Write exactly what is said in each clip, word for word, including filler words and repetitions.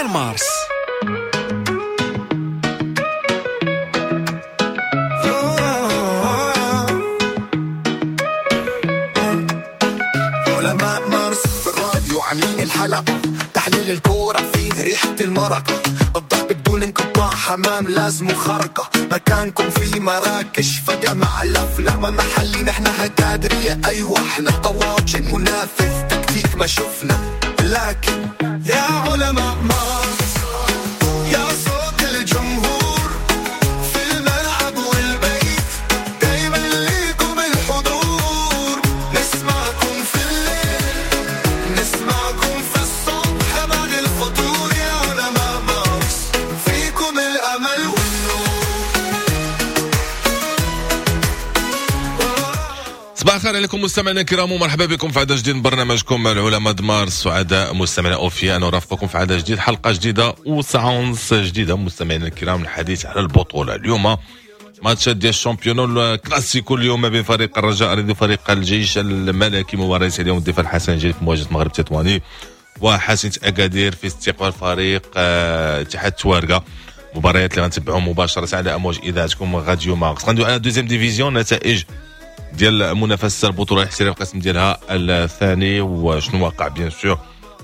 ديال مارس. علماء مارس في الراديو عاملين الحلقة، تحليل الكورة فيه ريحة المرق، الضحك بدون انقطاع، حمام لازم خرقة، مكانكم في مراكش فجأة مع الأفلام محلي، نحن هكادرية أيوة احنا طواجن، منافس تكتيك ما شفنا، لكن يا علماء مارس يا صوت الجمهور في الملعب والبيت، دايما ليكم الحضور، نسمعكم في الليل نسمعكم في الصبح بعد الفطور، يا علماء مارس فيكم الأمل والنور. صباح الخير عليكم مستمعينا الكرام ومرحبا بكم في عدد جديد من برنامجكم العلماء مارس. سعداء مستمعينا اوفياء نرافقكم في عدد جديد، حلقة جديدة وساعة ونص جديدة مستمعينا الكرام، الحديث على البطولة. اليوم ماتشات ديال ال championnat الكلاسيكو اليوم ما بين فريق الرجاء الرياضي وفريق الجيش الملكي، مباراة اليوم الدفاع الحسن الجديد في مواجهة المغرب التطواني، وحسنة اكادير في استقبال فريق اتحاد توارقه. مباريات اللي غنتبعوا مباشرة على امواج اذاعتكم راديو مارس. غندوي على deuxième division، نتائج ديال منافسه البطولة الاحترافية القسم ديالها الثاني وشنو وقع bien sûr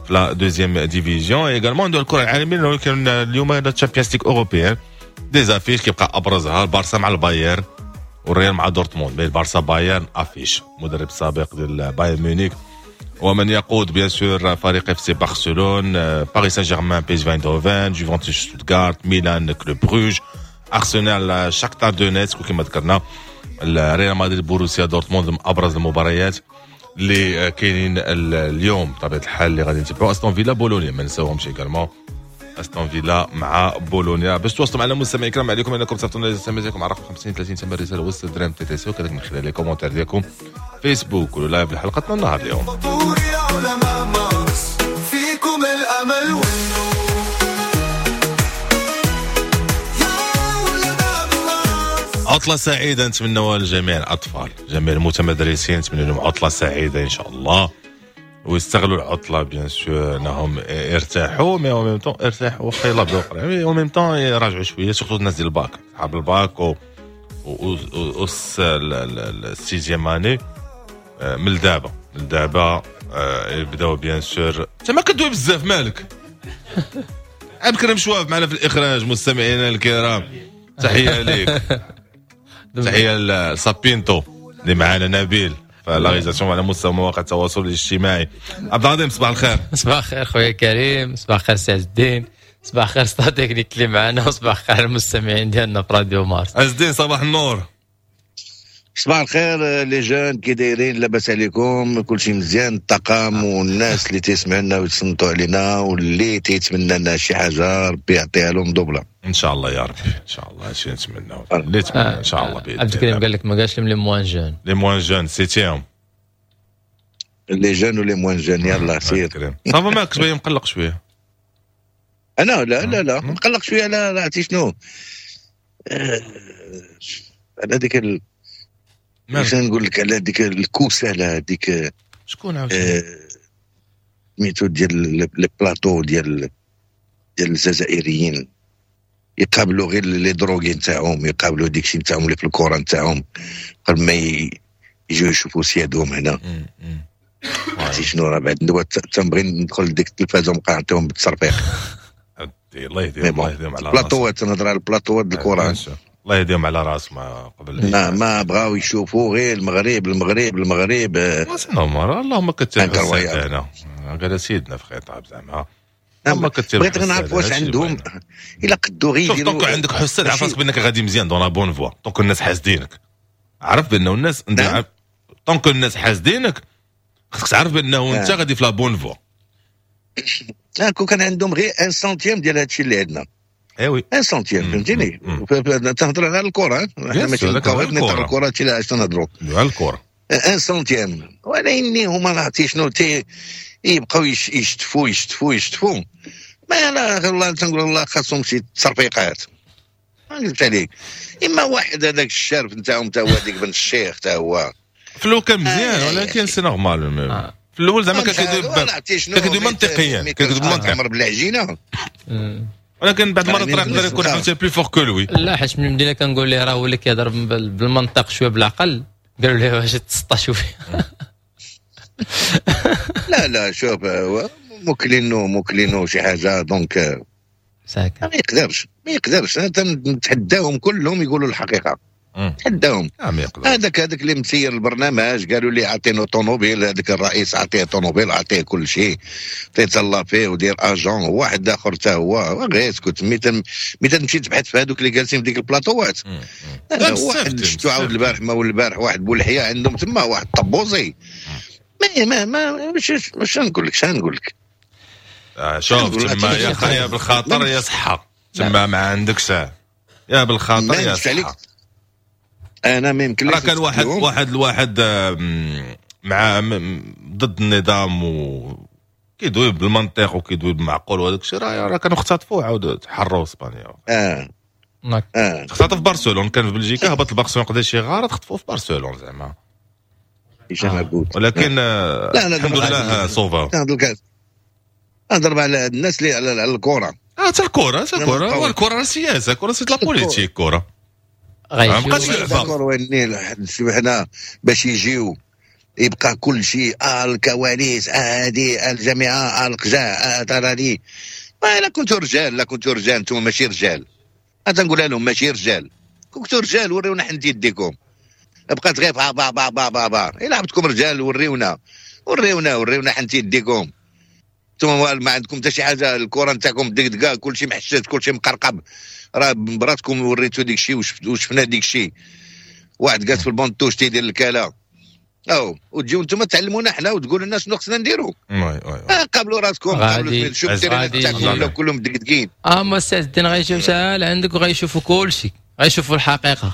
في la deuxième division. également ندوي الكره العالمية، ولكن اليوم la Champions League européenne des affiches كيبقى ابرزها البارسا مع البايرن والريال مع دورتموند. البارسا بايرن affiche مدرب سابق ديال بايرن ميونيك ومن يقود bien sûr فريق اف سي برشلون، باريس سان جيرمان، بي اس في ايندهوفن، جوفنتوس شتوتغارت، ميلان، كلوب بروج، ارسنال، شاختار دونيتسك، وكما ذكرنا ريال مدريد بوروسيا دورتموند من ابرز المباريات اللي كاينين اليوم بطبيعة الحال اللي غادي نتبعوا. استون فيلا بولونيا ما نساوهمش également، استون فيلا مع بولونيا. باش تواصلوا معنا مستمعي الكرام عليكم انكم تصيفطوا لنا رسالة ديالكم على رقم خمسين ثلاثين ثمن رسالة وسط درهم TTC، وكذلك من خلال les commentaires ديالكم فيسبوك ولا live لحلقتنا النهار اليوم. يا علماء مارس فيكم الامل والنور، عطلة سعيدة نتمنوها لجميع الأطفال، جميع المتمدرسين نتمنى لهم عطلة سعيدة إن شاء الله، ويستغلوا العطلة bien sûr أنهم يرتاحوا، mais en même temps يرتاحوا واخا يلا بداو قرايه، en même temps يراجعوا شوية، surtout الناس ديال الباك، صحاب الباك و و ال sixième année من دابا من دابا يبداو bien sûr. انت ما كدوي بزاف مالك؟ عبد الكريم شواف معنا في الإخراج. مستمعينا الكرام تحية ليك، تحية لسابينتو اللي معنا، نبيل ف la réalisation على مستوى مواقع التواصل الاجتماعي. عبد العظيم صباح الخير. صباح الخير خويا كريم، صباح الخير سي عز الدين، صباح الخير staff technique اللي معنا، وصباح الخير المستمعين ديالنا في راديو مارس. عز الدين صباح النور. صباح الخير les jeunes، كي دايرين؟ لاباس عليكم؟ كلشي مزيان؟ الطاقم والناس اللي تيسمعوا لنا ويتصنتوا علينا واللي تيتمنى لنا شي حاجة ربي يعطيها لهم double ان شاء الله يا ربي، ان شاء الله هادشي نتمناو اللي نتمنى ان شاء الله. عبد الكريم قال لك ما قالش لهم les moins jeunes، les moins jeunes سيتيهم les jeunes و les moins jeunes. يلا سير ça va مالك شوية مقلق شوية؟ انا لا لا لا مقلق شوية، لا لا عرفتي شنو على ديك ال... باش نقول لك على ديك الكوسه، على ديك شكون عاوتاني سميتو ديال les plateaux ديال ديال الجزائريين، يقابلوا غير les drogués نتاعهم، يقابلوا ديك الشيء نتاعهم اللي في الكره نتاعهم قبل ما يجيو يشوفوا سيادهم هنا. عرفتي شنو؟ راه بعد دابا تنبغي ندخل لديك التلفازه ونبقى نعطيهم بالتصرفيق. الله يهديهم، الله يهديهم على البلاطوات، تنهضر على البلاطوات الكره، الله يهديهم على راس ما قبل ما ما بغاو يشوفوا غير المغرب المغرب المغرب. c'est normal، اللهم كتبع هنا قال سيدنا في خطاب زعما ما بغيت غير نعرف واش عندهم الا قدوا غير يديروا. donc عندك حساد، عرف راسك بانك غادي مزيان dans la bonne voie، donc الناس حاسدينك، عرف بانه الناس نعم. donc الناس حاسدينك، خصك تعرف بانه انت غادي في la bonne voie. لا كون كان عندهم غير un centième ديال هادشي اللي عندنا، eh oui un centième، فهمتيني؟ تنهضر على الكره، حنا ماشي الكره، الكره هادشي اللي علاش تنهضروا على الكره un centième. ولكن هما عرفتي شنو تي يبقاو يشتفوا يشتفوا يشتفوا ما لا والله تنقول الله خاصهم شي تصرفيقات، ما نكذبش عليك. اما واحد هذاك الشارف نتاعهم تا هو ديك بن الشيخ تا هو فلو كان مزيان، ولكن c'est normal. في الاول زعما كان كيدوي كان كيدوي منطقيا، كان كيدوي بالمنطق عمر بالعجينه، ولكن بعد المرات راه يقدر يكون عاوتاني plus fort que lui. لا حيت من بدينا كنقول ليه راه هو اللي كيهضر بالمنطق شوية بالعقل، قالوا ليه واش تسطى شوية. لا لا شوف موكلينو موكلينو شي حاجة donc ساكن ما يقدرش ما يقدرش. انا نتحداهم كلهم يقولوا الحقيقة، نتحداهم. هذاك هذاك اللي مسير البرنامج قالوا لي عطينو طوموبيل، هذاك الرئيس عطية طوموبيل، عطية كل شيء، تيتهلا فيه ودير agent. واحد اخر حتى هو غير اسكت. مي تمشي تبحث في هذوك اللي جالسين في ديك البلاطوات، واحد شفتو عاود البارح ما البارح واحد بولحيه عندهم تما واحد طبوزي. ما ما ما واش نقول لك شنو نقول لك. شوف تما يا خيا بالخاطر يا صحة، تما ما عندكش يا بالخاطر يا صحة. انا ما يمكنليش. راه كان واحد واحد الواحد مع ضد النظام و كيدوي بالمنطق وكيدوي بالمعقول وهذاك الشيء، راه راه كانوا اختطفوه عاود حروا اسبانيا. اه اه اختطف برشلونة، كان في بلجيكا هبط لبرشلونة قضى شي غرض، خطفوه في برشلونة زعما. ولكن لا الحمد لله sauva. نهضر على الناس اللي على الكره. اه حتى الكره حتى الكره الكره راه سياسة، الكره c'est la politique. كره ما بقاش لعبه. حنا باش يجيو يبقى كل شيء اه الكواليس اه هذه الجامعة اه القجاع اه تراني. ما لا كنتو رجال، لا كنتو رجال انتم ماشي رجال. انا تنقولها لهم ماشي رجال، كنتو رجال وريونا حنت يديكم. بقات غير با با با با با با. الا عبدكم رجال وريونا وريونا وريونا حنت يديكم. انتم ما عندكم حتى شي حاجة، الكره نتاعكم دقدقه، كلشي محشش، كلشي مقرقب. راه براتكم وريتو ديك الشيء وشفنا ديك الشيء. واحد جالس في ال banc de touche تيدير الكاله او وتجيو انتم تعلمونا حنا وتقولوا لنا شنو خصنا نديرو. oui oui قابلوا راسكم، قابلوا شوف ال terrain تاعكم كلهم دقدقين. اه ما السي عز الدين غيجيو ساهل عندك وغيشوفوا كلشي، غيشوفوا الحقيقة.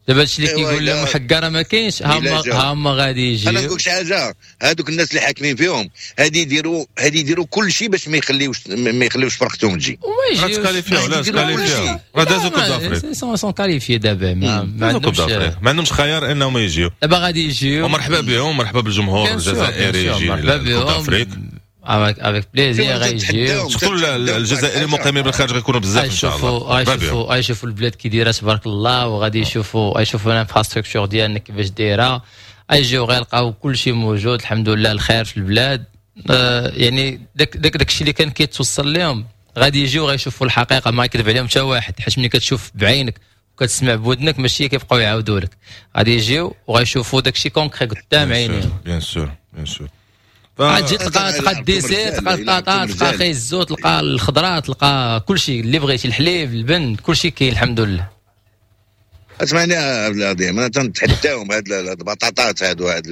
دابا هادشي اللي كيقول لهم حكا راه ما كاينش، هما هما غادي يجيو. انا نقول لك شي حاجة، هادوك الناس اللي حاكمين فيهم هادي يديروا هادي يديروا كل شيء باش ما يخليوش ما يخليوش فرقتهم تجي. راه تكاليفيو، لا تكاليفيو، راه دازو Coupe d'Afrique، sont sont qualifiés دابا. ما عندهمش ما عندهمش خيار انهم يجيو. دابا غادي يجيو ومرحبا بهم، مرحبا بالجمهور الجزائري يجي Coupe d'Afrique avec plaisir غيجيو. surtout الجزائريين المقيمين بالخارج غيكونوا بزاف ان شاء الله. غيشوفوا غيشوفوا البلاد كي دايرة تبارك الله، وغادي يشوفوا غيشوفوا l'infrastructure ديالنا كيفاش دايرة. غيجيو غيلقاو كل شيء موجود الحمد لله، الخير في البلاد. آه يعني داك داك داك الشيء اللي كان كيتوصل لهم غادي يجيو غيشوفوا الحقيقة، ما يكذب عليهم حتى واحد، حيت ملي كتشوف بعينك وكتسمع بودنك ماشي كيبقاو يعاودوا لك. غادي يجيو وغيشوفوا داك الشيء concret قدام عينيهم. bien sûr bien sûr. غتجي تلقى تلقى ال dessert، تلقى البطاطا، تلقى خيزو، تلقى الخضرة، تلقى كل شيء اللي بغيتي، الحليب، البن، كل شيء كاين الحمد لله. اسمعني يا عبد العظيم، انا تنتحداهم هاد البطاطات هادو هاد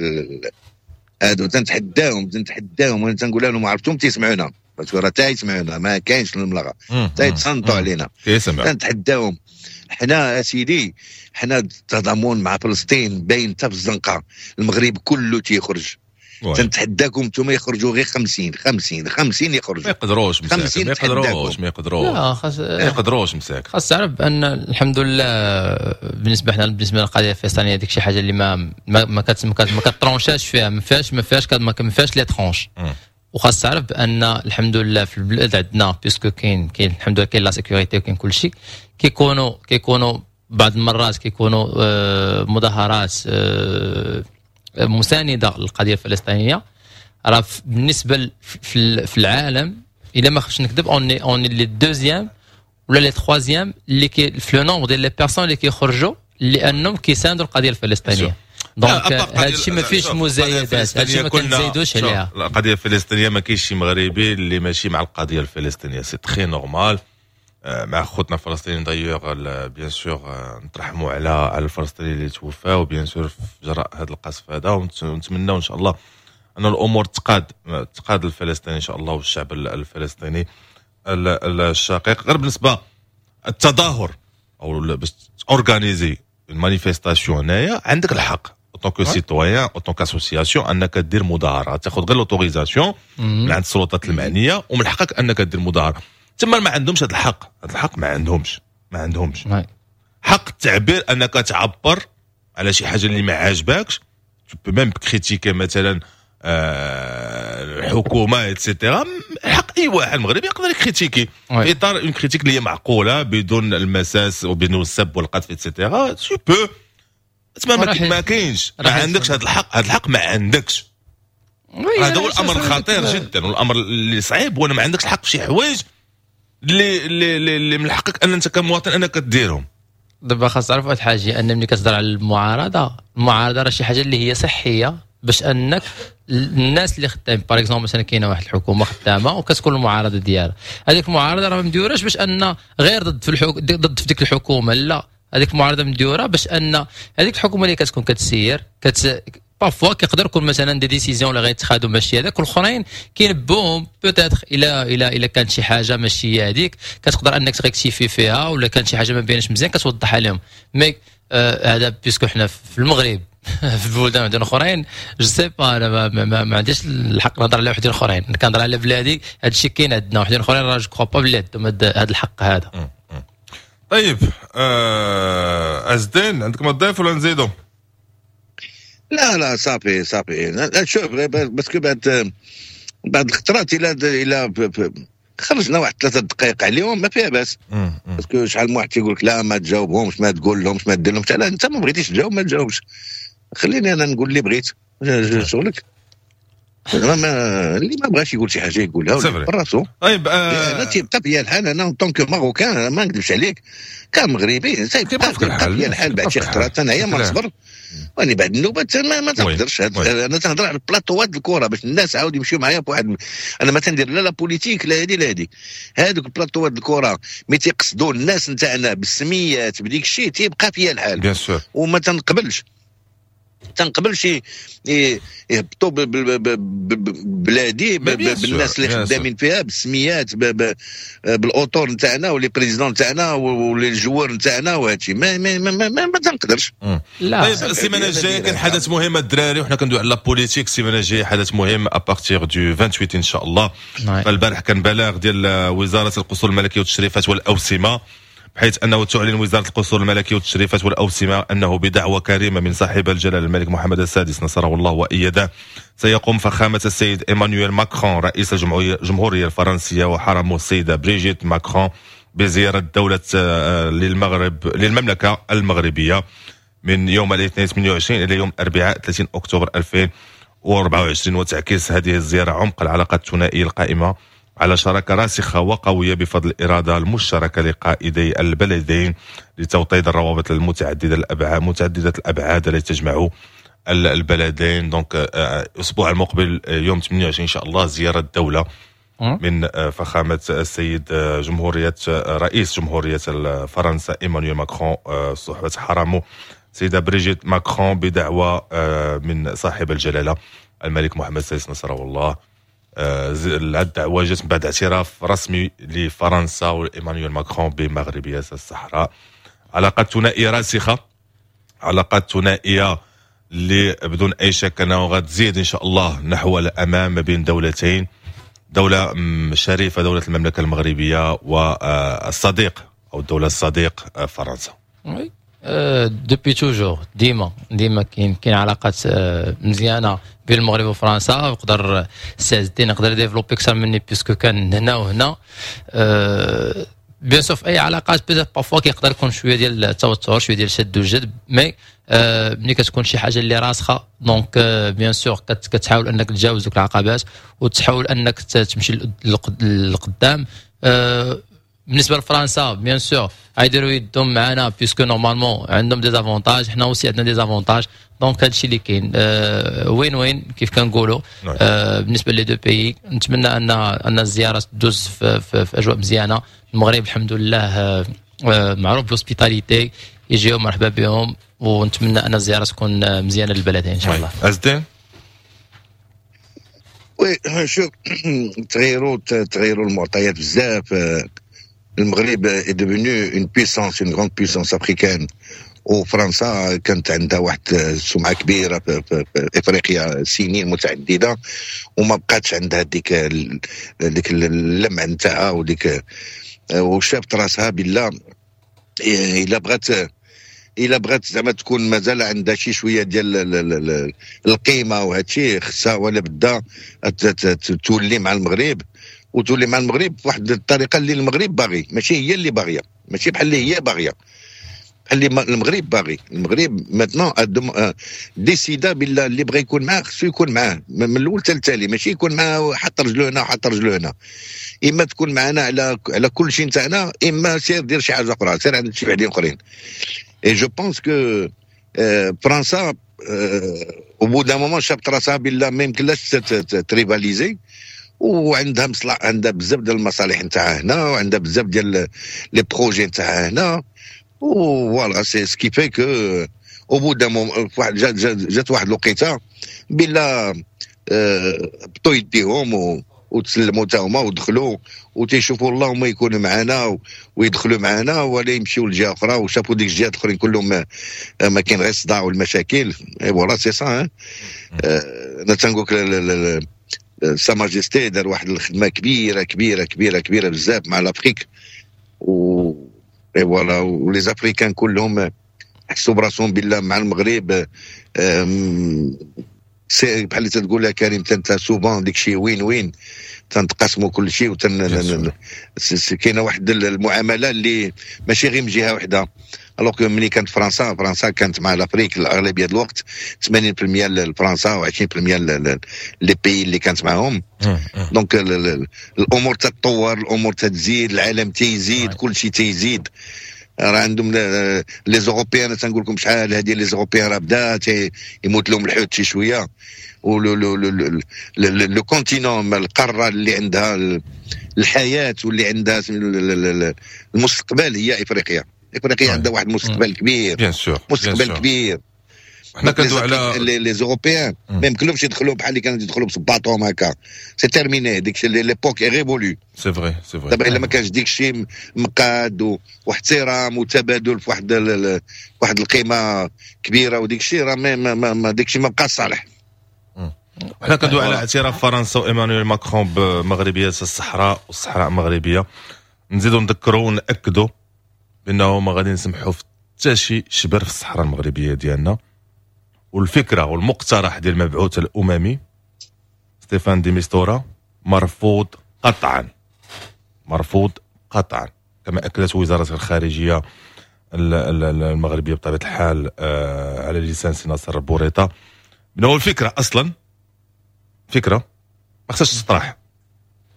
هادو تنتحداهم تنتحداهم وانا تنقول لهم عرفتهم تيسمعونا، parce que راه تا يسمعونا، ما كاينش الملغى، تا يتصنتوا علينا. تنتحداهم حنا اسيدي، حنا التضامن مع فلسطين باين حتى في الزنقة، المغرب كله تيخرج. تنتحداكم انتم يخرجوا غير خمسين خمسين خمسين يخرجوا. ما يقدروش مساكن، ما يقدروش ما يقدروش لا خاص ما يقدروش مساكن. خاص تعرف بان الحمد لله بالنسبة حنا بالنسبة للقضية الفلسطينية ديك شي حاجة اللي ما ما ما, ما كترونشاش فيها، ما فيهاش ما فيهاش ما فيهاش les tranches. وخاص تعرف بان الحمد لله في البلاد عندنا puisque كاين كاين الحمد لله كاين la sécurité وكاين كل شيء. كيكونوا كيكونوا بعض المرات كيكونوا مظاهرات مساندة للقضية الفلسطينية. راه بالنسبة في العالم الا ما خفتش نكذب on est on est les deuxièmes ولا les troisièmes اللي كي في le nombre ديال les personnes اللي كيخرجوا لانهم كيساندوا القضية الفلسطينية. donc هذا الشيء ما فيهش مزايدات، هذا الشيء ما كنزايدوش عليها. القضية الفلسطينية ما كاينش شي مغربي اللي ماشي مع القضية الفلسطينية، c'est très normal. مع خوتنا الفلسطينيين d'ailleurs bien sûr نترحموا على على الفلسطينيين اللي توفاو bien sûr في جراء هذا القصف هذا، ونتمناو ان شاء الله ان الامور تقاد تقاد الفلسطيني ان شاء الله والشعب الفلسطيني الشقيق. غير بالنسبة التظاهر او باش organiser manifestation هنايا عندك الحق en tant que citoyen en tant qu'association انك دير مظاهره، تاخذ غير l'autorisation من عند السلطات المعنية ومن حقك انك دير مظاهره. تما ما عندهمش هذا الحق، هذا الحق ما عندهمش ما عندهمش حق التعبير انك تعبر على شي حاجة اللي ما عاجباكش. tu peux même critiquer مثلا آه، الحكومة et cetera، حق اي واحد مغربي يقدر ي critiquer في اطار une critique اللي هي معقوله، بدون المساس وبدون السب والقذف et cetera. tu peux، تما ما كاينش، ما عندكش هذا الحق، هذا الحق ما عندكش. هذا هو الامر الخطير جدا والامر اللي صعيب، وانا ما عندكش الحق في شي حوايج اللي اللي اللي من حقك ان انت كمواطن انك ديرهم. دابا خاص تعرف واحد الحاجه، ان ملي كتهضر على المعارضه، المعارضة راه شي حاجة اللي هي صحيه، باش انك الناس اللي خدام، par exemple مثلا كاينه واحد الحكومة خدامه وكتكون المعارضة ديالها، هذيك المعارضة راه ما مديوراش باش ان غير ضد في الحك... ضد في ديك الحكومه، لا، هذيك المعارضة مديوره باش ان هذيك الحكومة اللي كتكون كتسير كت parfois كيقدر يكون مثلا des décisions اللي غيتخادوا ماشي هذاك، والاخرين كينبوهم peut-être الى الى الى كانت شي حاجة ماشي هذيك كتقدر انك ت rectifier فيها، ولا كانت شي حاجة ما بينش مزيان كتوضحها لهم. mais آه هذا puisque حنا في المغرب، في البلدان وحدين اخرين je sais pas، انا ما, ما, ما, ما عنديش الحق نهضر على وحدين اخرين، كنهضر على بلادي. هذا الشيء كاين عندنا، وحدين اخرين راه je crois pas بلي عندهم هذا الحق هذا. طيب، آه ازدين، عندك ما تضيف ولا نزيدو؟ لا لا، صافي صافي. شوف، parce que بعد بعد الخطرات الى الى خرجنا واحد ثلاثة دقائق عليهم ما فيها باس، parce que شحال من واحد تيقول لك لا ما تجاوبهمش، ما تقول لهمش، ما دير لهمش. لا، انت ما بغيتيش تجاوب ما تجاوبش، خليني انا نقول اللي بغيت، شغلك. ما اللي ما بغاش يقول شي حاجة يقولها براسو. طيب. آه انا تيبقى فيا الحال، انا en tant que marocain، ما نكذبش عليك، كمغربي تيبقى فيا الحال بعد شي خطرات، انا ما نصبر واني بعد النوبات ما, ما تقدرش. انا تنهضر على البلاطوات الكره باش الناس عاود يمشيو معايا بواحد، انا ما تندير لا la politique لا هادي لا هادي. هادوك البلاطوات الكره mais تيقصدوا الناس نتاعنا بالسميات بديك الشيء، تيبقى فيا الحال. bien sûr. وما تنقبلش تنقبلش يهبطوا بلادي بالناس اللي خدامين فيها بالسميات، بالاطر نتاعنا و les présidents نتاعنا و les joueurs نتاعنا وهادشي ما ما ما, ما, ما, ما تنقدرش. لا. طيب، السيمانة الجاية كان حدث مهم الدراري، وحنا كندوي على la politique، السيمانة الجاية حدث مهم à partir du ثمانية وعشرين ان شاء الله. فالبارح كان بلاغ ديال وزارة القصور الملكية والتشريفات والاوسمه، بحيث أنه تعلن وزارة القصور الملكية والتشريفات والأوسمة أنه بدعوة كريمة من صاحب الجلالة الملك محمد السادس نصره الله وأيده، سيقوم فخامة السيد إيمانويل ماكرون رئيس الجمهورية الفرنسية وحرمه السيدة بريجيت ماكرون بزيارة دولة آه، للمغرب للمملكة المغربية من يوم الاثنين ثمانية وعشرين إلى يوم الأربعاء ثلاثين أكتوبر ألفين وأربعة وعشرين. وتعكس هذه الزيارة عمق العلاقات الثنائية القائمة على شراكة راسخة وقوية بفضل الإرادة المشتركة لقائدي البلدين لتوطيد الروابط المتعددة الأبعاد متعددة الأبعاد التي تجمع البلدين. donc الأسبوع المقبل آه، يوم ثمانية وعشرين إن شاء الله زيارة الدولة من آه، فخامة السيد آه، جمهورية رئيس جمهورية فرنسا إيمانويل ماكرون صحبة حرمه سيدة بريجيت ماكرون بدعوة من صاحب الجلالة الملك محمد السادس نصره الله. الدعوة جات بعد اعتراف رسمي لفرنسا وإيمانويل ماكرون بمغربية الصحراء. علاقات ثنائية راسخة، علاقات ثنائية اللي بدون أي شك أنه غتزيد إن شاء الله نحو الأمام ما بين دولتين، دولة شريفة دولة المملكة المغربية والصديق أو الدولة الصديق فرنسا. oui، depuis toujours، ديما ديما كاين كاين علاقات آه، مزيانه بين المغرب وفرنسا. يقدر السي عز الدين يقدر développer اكثر مني puisque كان هنا وهنا. bien sûr في اي علاقات peut-être parfois كيقدر يكون شوية ديال التوتر، شوية ديال الشد والجذب، mais آه، ملي كتكون شي حاجة اللي راسخة donc bien sûr كتحاول انك تجاوز دوك العقبات وتحاول انك تمشي للقدام. آه، بالنسبة لفرنسا bien sûr غيديروا يدهم معنا puisque normalement عندهم des avantages، حنا aussi عندنا des avantages، donc هادشي اللي كاين win win كيف كنقولوا نعم. آه بالنسبة les deux pays. نتمنى ان ان الزيارة تدوز في, في, في اجواء مزيانه. المغرب الحمد لله آه معروف ب l'hospitalité، يجيو مرحبا بهم، ونتمنى ان الزيارة تكون مزيانه للبلدين ان شاء الله. ازدين. oui، شوف، تغيروا تغيروا المعطيات بزاف. المغرب est devenu une puissance، une grande puissance africaine، وفرنسا كانت عندها واحد السمعة كبيرة في, في, في افريقيا سنين متعدده، وما بقاتش عندها ديك ديك اللمع نتاعها وديك، وشافت راسها بالله الا بغات الا بغات زعما تكون مازال عندها شي شوية ديال القيمة وهذا الشيء، خصها ولا بدا تولي مع المغرب، وتولي مع المغرب بواحد الطريقة اللي المغرب باغي، ماشي هي اللي باغية، ماشي بحال اللي هي باغية، بحال اللي المغرب باغي. المغرب maintenant décida بالله اللي بغى يكون معاه خصو يكون معاه من الاول حتى التالي، ماشي يكون معاه حط رجلو هنا وحط رجلو هنا. اما تكون معنا على على كل شيء نتاعنا، اما سير دير شي حاجة اخرى، سير عند شي وحدين اخرين. et je pense que فرنسا au bout d'un moment شافت راسها بالله ما يمكنلاش ت rivaliser، وعندها مصلحة، عندها بزاف ديال المصالح نتاعها هنا، وعندها بزاف ديال les projets نتاعها هنا. voilà c'est ce qui fait que au bout d'un واحد جات جات واحد الوقيته بلا بطو يديهم وتسلموا تا هما ودخلوا وتيشوفوا اللهم يكونوا معنا ويدخلوا معنا ولا يمشيو لجهة اخرى، وشافوا ديك الجهات الاخرين كلهم ما كاين غير الصداع والمشاكل. et voilà c'est ça. انا تنقول لك sa majesté دار واحد الخدمة كبيرة كبيرة كبيرة كبيرة بزاف مع l'Afrique، و et voilà و les Africains كلهم حسوا براسهم بالله مع المغرب. c'est بحال اللي تقول كريم انت souvent ديك الشيء win-win، تنتقاسموا كل شيء، وتن كاينه واحد المعاملة اللي ماشي غير من جهة واحدة. alors ملي كانت فرنسا، فرنسا كانت مع l'Afrique الاغلبية الوقت ثمانين بالمية لفرنسا وعشرين بالمية les pays اللي كانت معاهم. donc الامور تتطور، الامور تتزيد، العالم تيزيد، كل شيء تيزيد. راه عندهم les Européens، تنقول لكم شحال هذه les Européens راه بدا يموت لهم الحوت شي شوية، و le le le continent، القارة اللي عندها الحياة واللي عندها المستقبل هي افريقيا. افريقيا عندها واحد المستقبل كبير، bien sûr. مستقبل كبير. حنا كندوي على les Européens ما يمكنلهمش يدخلوا بحال اللي كانوا يدخلوا بصباطهم هكا، c'est terminé، ديك l'époque est révolue. c'est vrai، c'est vrai. دابا الا ما كانش ديك الشيء مقاد واحترام وتبادل في واحد واحد القيمة كبيرة وديك الشيء، راه ما, ما, ما ديك الشيء ما بقاش صالح. حنا كندوي على اعتراف فرنسا وايمانويل ماكرون بمغربيه الصحراء والصحراء المغربية. نزيدو نذكروا وناكدوا بانه ما غادي نسمحوا في حتى شي شبر في الصحراء المغربية ديالنا، والفكرة والمقترح ديال المبعوث الاممي ستيفان دي ميستورا مرفوض قطعا، مرفوض قطعا، كما اكدت وزارة الخارجية المغربية بطبيعة الحال آه، على لسان سي ناصر بوريطه، بانه الفكرة اصلا فكرة ما خصهاش تطرح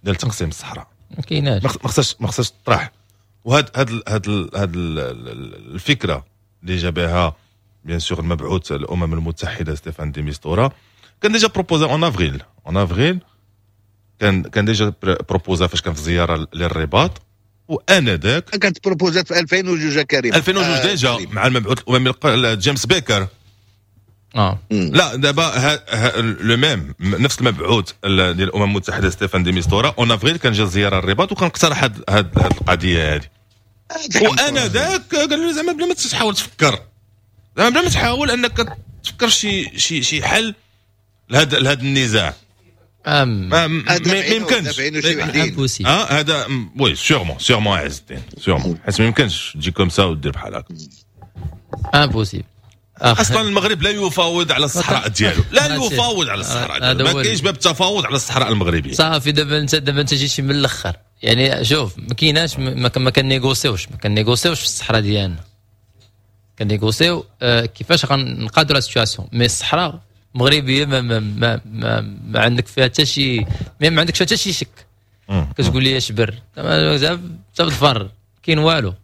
ديال تقسيم الصحراء. ما كايناش. ما خصهاش ما خصهاش تطرح. وهاد هاد هاد هاد الفكرة اللي جابها bien sûr المبعوث الامم المتحدة ستيفان دي ميستورا كان déjà proposé en avril en avril كان كان déjà proposé فاش كان في زيارة للرباط، وانذاك كانت proposات في ألفين وجوج كريم. ألفين وجوج آه déjà مع المبعوث الاممي جيمس بيكر. اه لا، دابا le même، نفس المبعوث ديال الامم المتحدة ستيفان دي ميستورا en avril كان جا زيارة الرباط وكان اقترح هاد هاد القضية هذه، وانا ذاك قال له زعما بلا ما تحاول تفكر، زعما بلا ما تحاول انك تفكر شي شي شي حل لهذا لهذا النزاع. أم ما ما يمكنش. اه هذا oui sûrement sûrement عز الدين، sûrement، حيت ما يمكنش تجي comme ça ودير بحال هكا. impossible. اصلا المغرب لا يفاوض على الصحراء ديالو، لا يفاوض على الصحراء ديالو، ما كاينش باب التفاوض على الصحراء المغربيه. صافي، دابا انت دابا انت جيتي من الاخر، يعني شوف، ما كايناش، ما, ما كنيغوسيوش ما كنيغوسيوش في الصحراء ديالنا. كنيغوسيو آه، كيفاش غنقادوا la situation، mais الصحراء المغربية ما ما ما, ما, ما عندك فيها حتى شي ما عندك فيها حتى شي شك. كتقول لي شبر تظفر، كاين والو.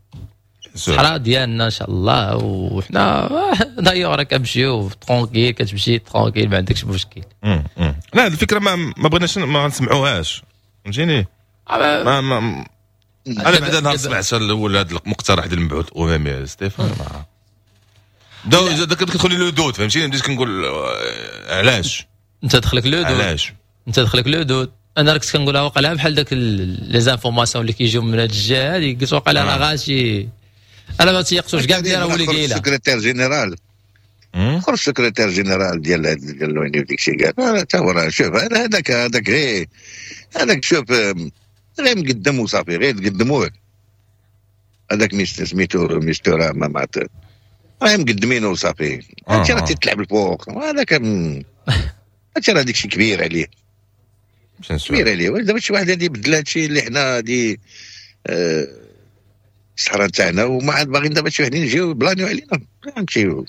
الصحراء ديالنا ان شاء الله، وحنا دايوغ كنمشيو tranquille، كتمشي tranquille، ما عندكش مشكل. لا، هذه الفكرة ما ما بغيناش ما نسمعوهاش، فهمتيني؟ ما ما انا بعدا نهار سمعت الاول هذا المقترح ديال المبعوث الاممي ستيفان داك كتدخل le doute، فهمتيني؟ بديت كنقول آه، علاش؟ انت دخلك le doute. علاش؟ انت دخلك le doute. انا راك كنقولها وقع بحال داك les informations اللي كيجيو من هاد الجهة هذه، قلت وقع راه غاشي، انا ما تيقتوش كاع بلي راه هو اللي قايلها. secrétaire général، خرج secrétaire général ديال ديال l'ONU وديك الشيء، قال حتى هو راه شوف هذاك هذاك غير هذاك، شوف غير مقدم وصافي، غير تقدموه هذاك سميتو ميستورا ما مات. راه مقدمينه وصافي. هادشي راه تيتلعب الفوق، هذا كان هادشي راه داكشي كبير عليه، كبير عليه. دابا شي واحد غادي يبدل هادشي اللي حنا هادي آه الصحراء تاعنا، وما عاد باغيين دابا شي وحدين يجيو بلانيو علينا نمشيو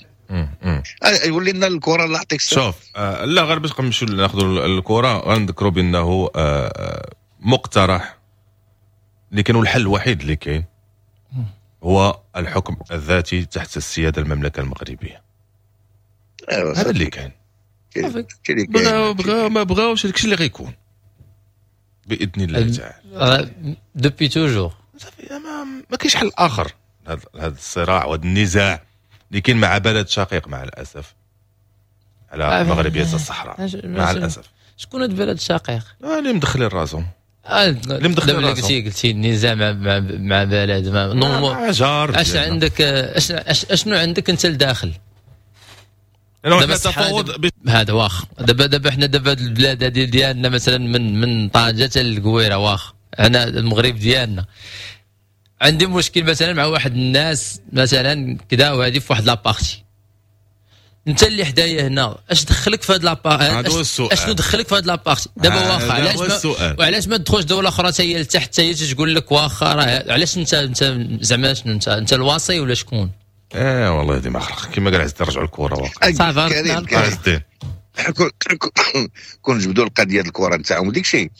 يولي لنا الكره. الله يعطيك الصحة. شوف آه لا غير باش نمشيو ناخذوا الكره، غنذكروا بانه آه مقترح اللي كانوا الحل الوحيد اللي كاين هو الحكم الذاتي تحت السيادة المملكة المغربية. هذا اللي كاين. بغاو بغاو ما بغاوش، داكشي اللي غيكون باذن الله تعالى. depuis toujours صافي، ما, ما كاينش حل اخر هذا هذا الصراع وهذا النزاع اللي كاين مع بلد شقيق مع الاسف على مغربية الصحراء مع الاسف. شكون هذا البلد الشقيق؟ اللي مدخلين راسهم، اللي مدخلين راسهم. قلتي قلتي النزاع مع مع, مع بلد ما مع جار. اش عندك، اش اشنو عندك انت لداخل؟ دابا تفاوض هذا واخ. دابا دابا حنا دابا البلاد هذه ديالنا مثلا من من طنجه حتى للقويره، واخ انا المغرب ديالنا عندي مشكل مثلا مع واحد الناس مثلا كذا، وهذه في واحد la partie، انت اللي حدايا هنا اش دخلك في هاد la partie؟ اشنو دخلك في هاد la partie دابا؟ واخا علاش ما وعلاش ما تدخلش دولة اخرى حتى هي لتحت حتى هي تقول لك واخا راه علاش انت انت زعما شنو انت انت الواصي ولا شكون؟ اه والله هذه ما خلق كما قال عز رجعوا الكره واقع صافي. عز الدين كون جبدوا القضية ديال الكره نتاعهم وديك الشيء،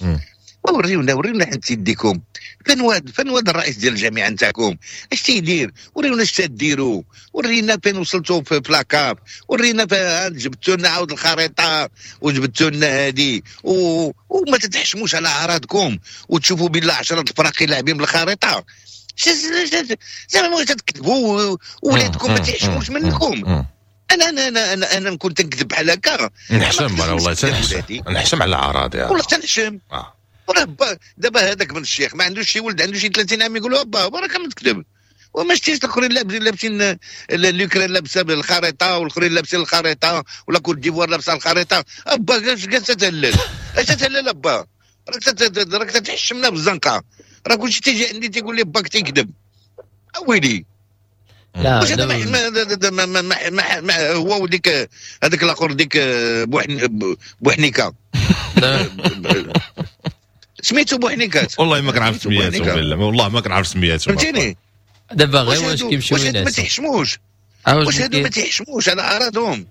وريونا وريونا حنت يديكم فين واد فين واد الرئيس ديال الجامعة نتاعكم اش تيدير، وريونا اش تديروا، ورينا فين وصلتوا في la CAF، ورينا جبتوا لنا عاود الخريطة وجبتوا لنا هادي و... وما تتحشموش على اعراضكم وتشوفوا بالله عشرة الفراقي لاعبين بالخريطة. زعما تكذبوا ولادكم ما تيحشموش منكم. انا انا انا انا, أنا نكون تنكذب بحال هكا نحشم انا والله، تنحشم نحشم على اعراضي والله تنحشم. وراه دابا هذاك بن الشيخ ما عندوش شي ولد عنده شي ثلاثين عام يقول له با بركة ما تكذب، وما شتيش الاخرين لابسين لابسين l'Ukraine لابسه بالخريطة والاخرين لابسين الخريطة ولا Côte d'Ivoire لابسه الخريطة. ابا اش جالس تهلل، اش تهلل ابا، راك راك تحشمنا بالزنقه، راه كلشي تيجي عندي تيقول لي باك تيكذب. اويلي لا واش هذا ما ما ما ما ما هو وديك هذاك الاخر ديك بوحنيكه سميتو بوحنيكات، والله ما كنعرف سمياتو بالله، والله ما كنعرف سمياتو فهمتيني. دابا غير واش كيمشيو الناس ما تيحشموش، واش هادو ما تيحشموش على اعراضهم.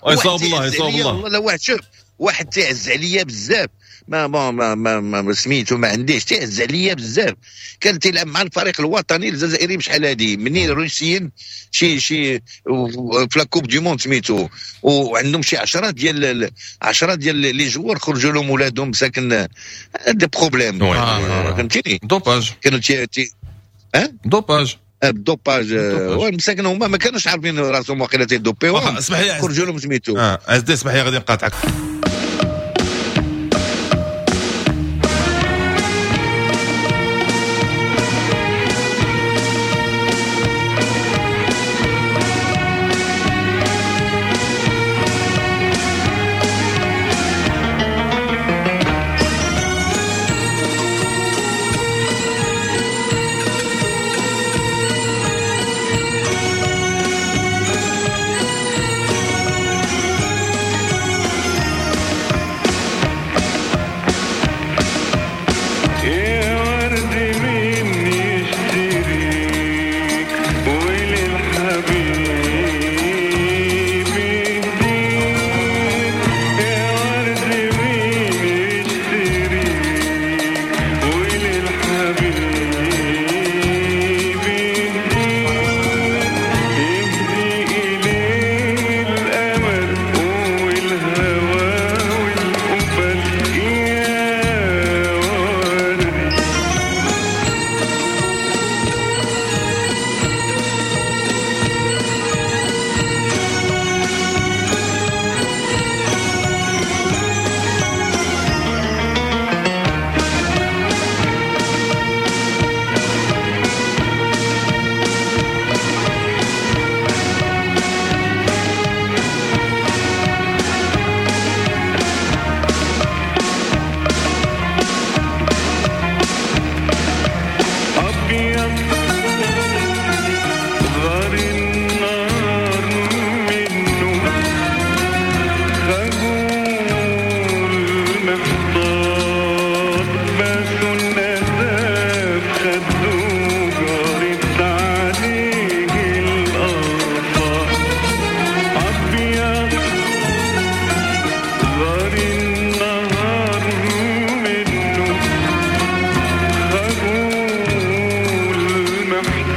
يصوب الله يصوب الله. والله واحد شوف واحد تيعز عليا بزاف، ما ما ما ما, ما سميتو ما عنديش، تيعز عليا بزاف، كان تيلعب مع الفريق الوطني الجزائري بشحال هادي منين الروسيين شي شي في la Coupe du monde سميتو، وعندهم شي عشرة ديال عشرة ديال les joueurs خرجوا لهم ولادهم مساكن des problèmes فهمتيني. dopage كانوا تي تي ها dopage ال dopage مساكن هما ما كانوش عارفين راسهم واقيلا تيدوبيو، اسمح لي خرجوا لهم سميتو. اه عزيز اسمح لي غادي نقاطعك.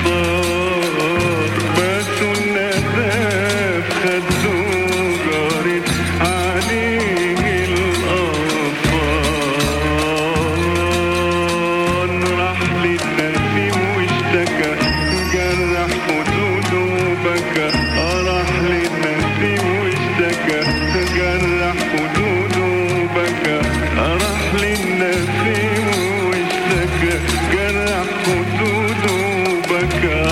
الأمطار، باسوا الندى في خده جارت عليه الأغصان. راح للنسيم واشتكى، جرح خدوده وبكى، راح للنسيم واشتكى، جرح خدوده وبكى، راح للنسيم واشتكى، جرح خدوده وبكى.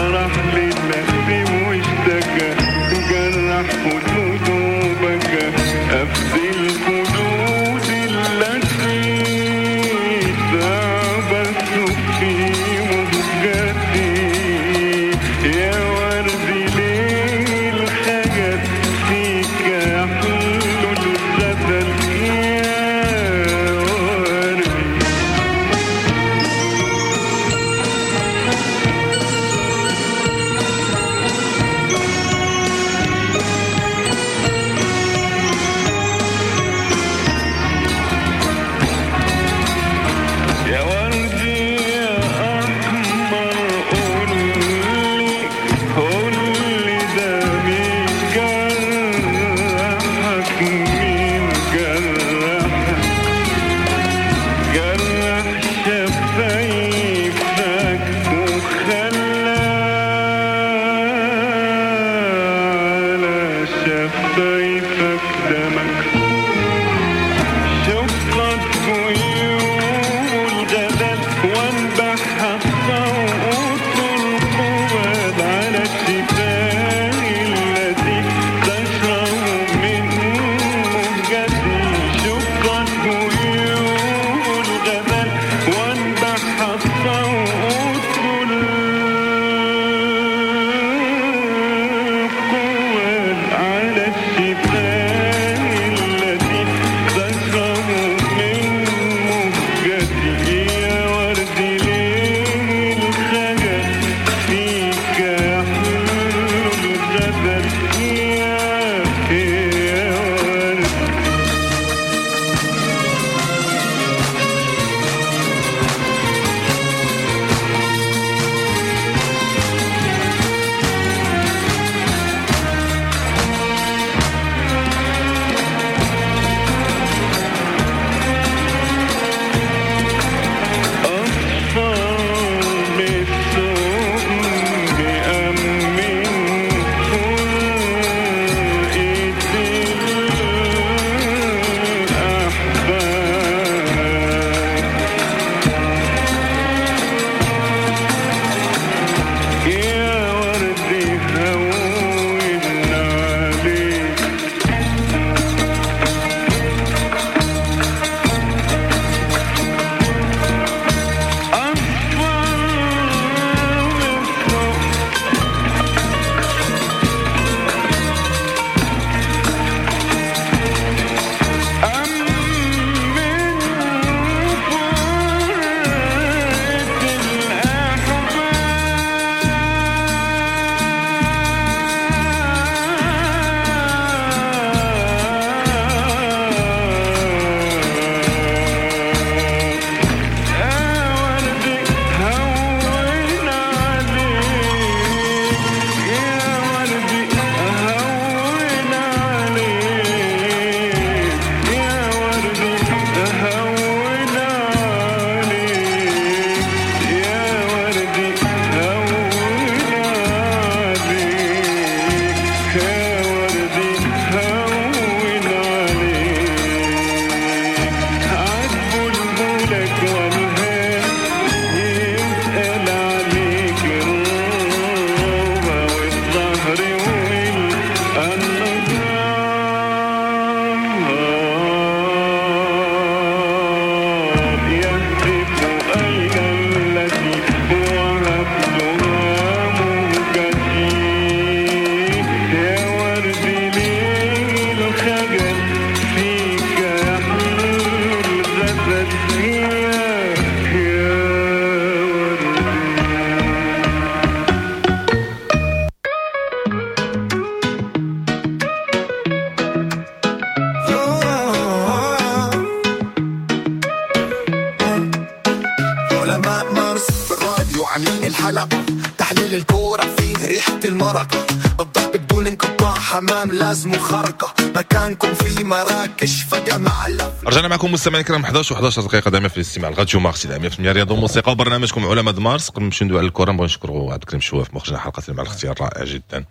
تحليل الكورة فيه ريحة المرق، الضحك بدون انقطاع، حمام لازم خرقة، مكانكم في مراكش فجمع. رجعنا معكم مستمعينا الكرام، حداش وحداش دقيقة دائما في الاستماع الراديو مارس مية بالمية رياضة وموسيقى وبرنامجكم علماء مارس. قبل ما نمشيو ندوي على الكره نبغي نشكروا عبد الكريم شواف مخرجنا حلقة مع الاختيار رائع جدا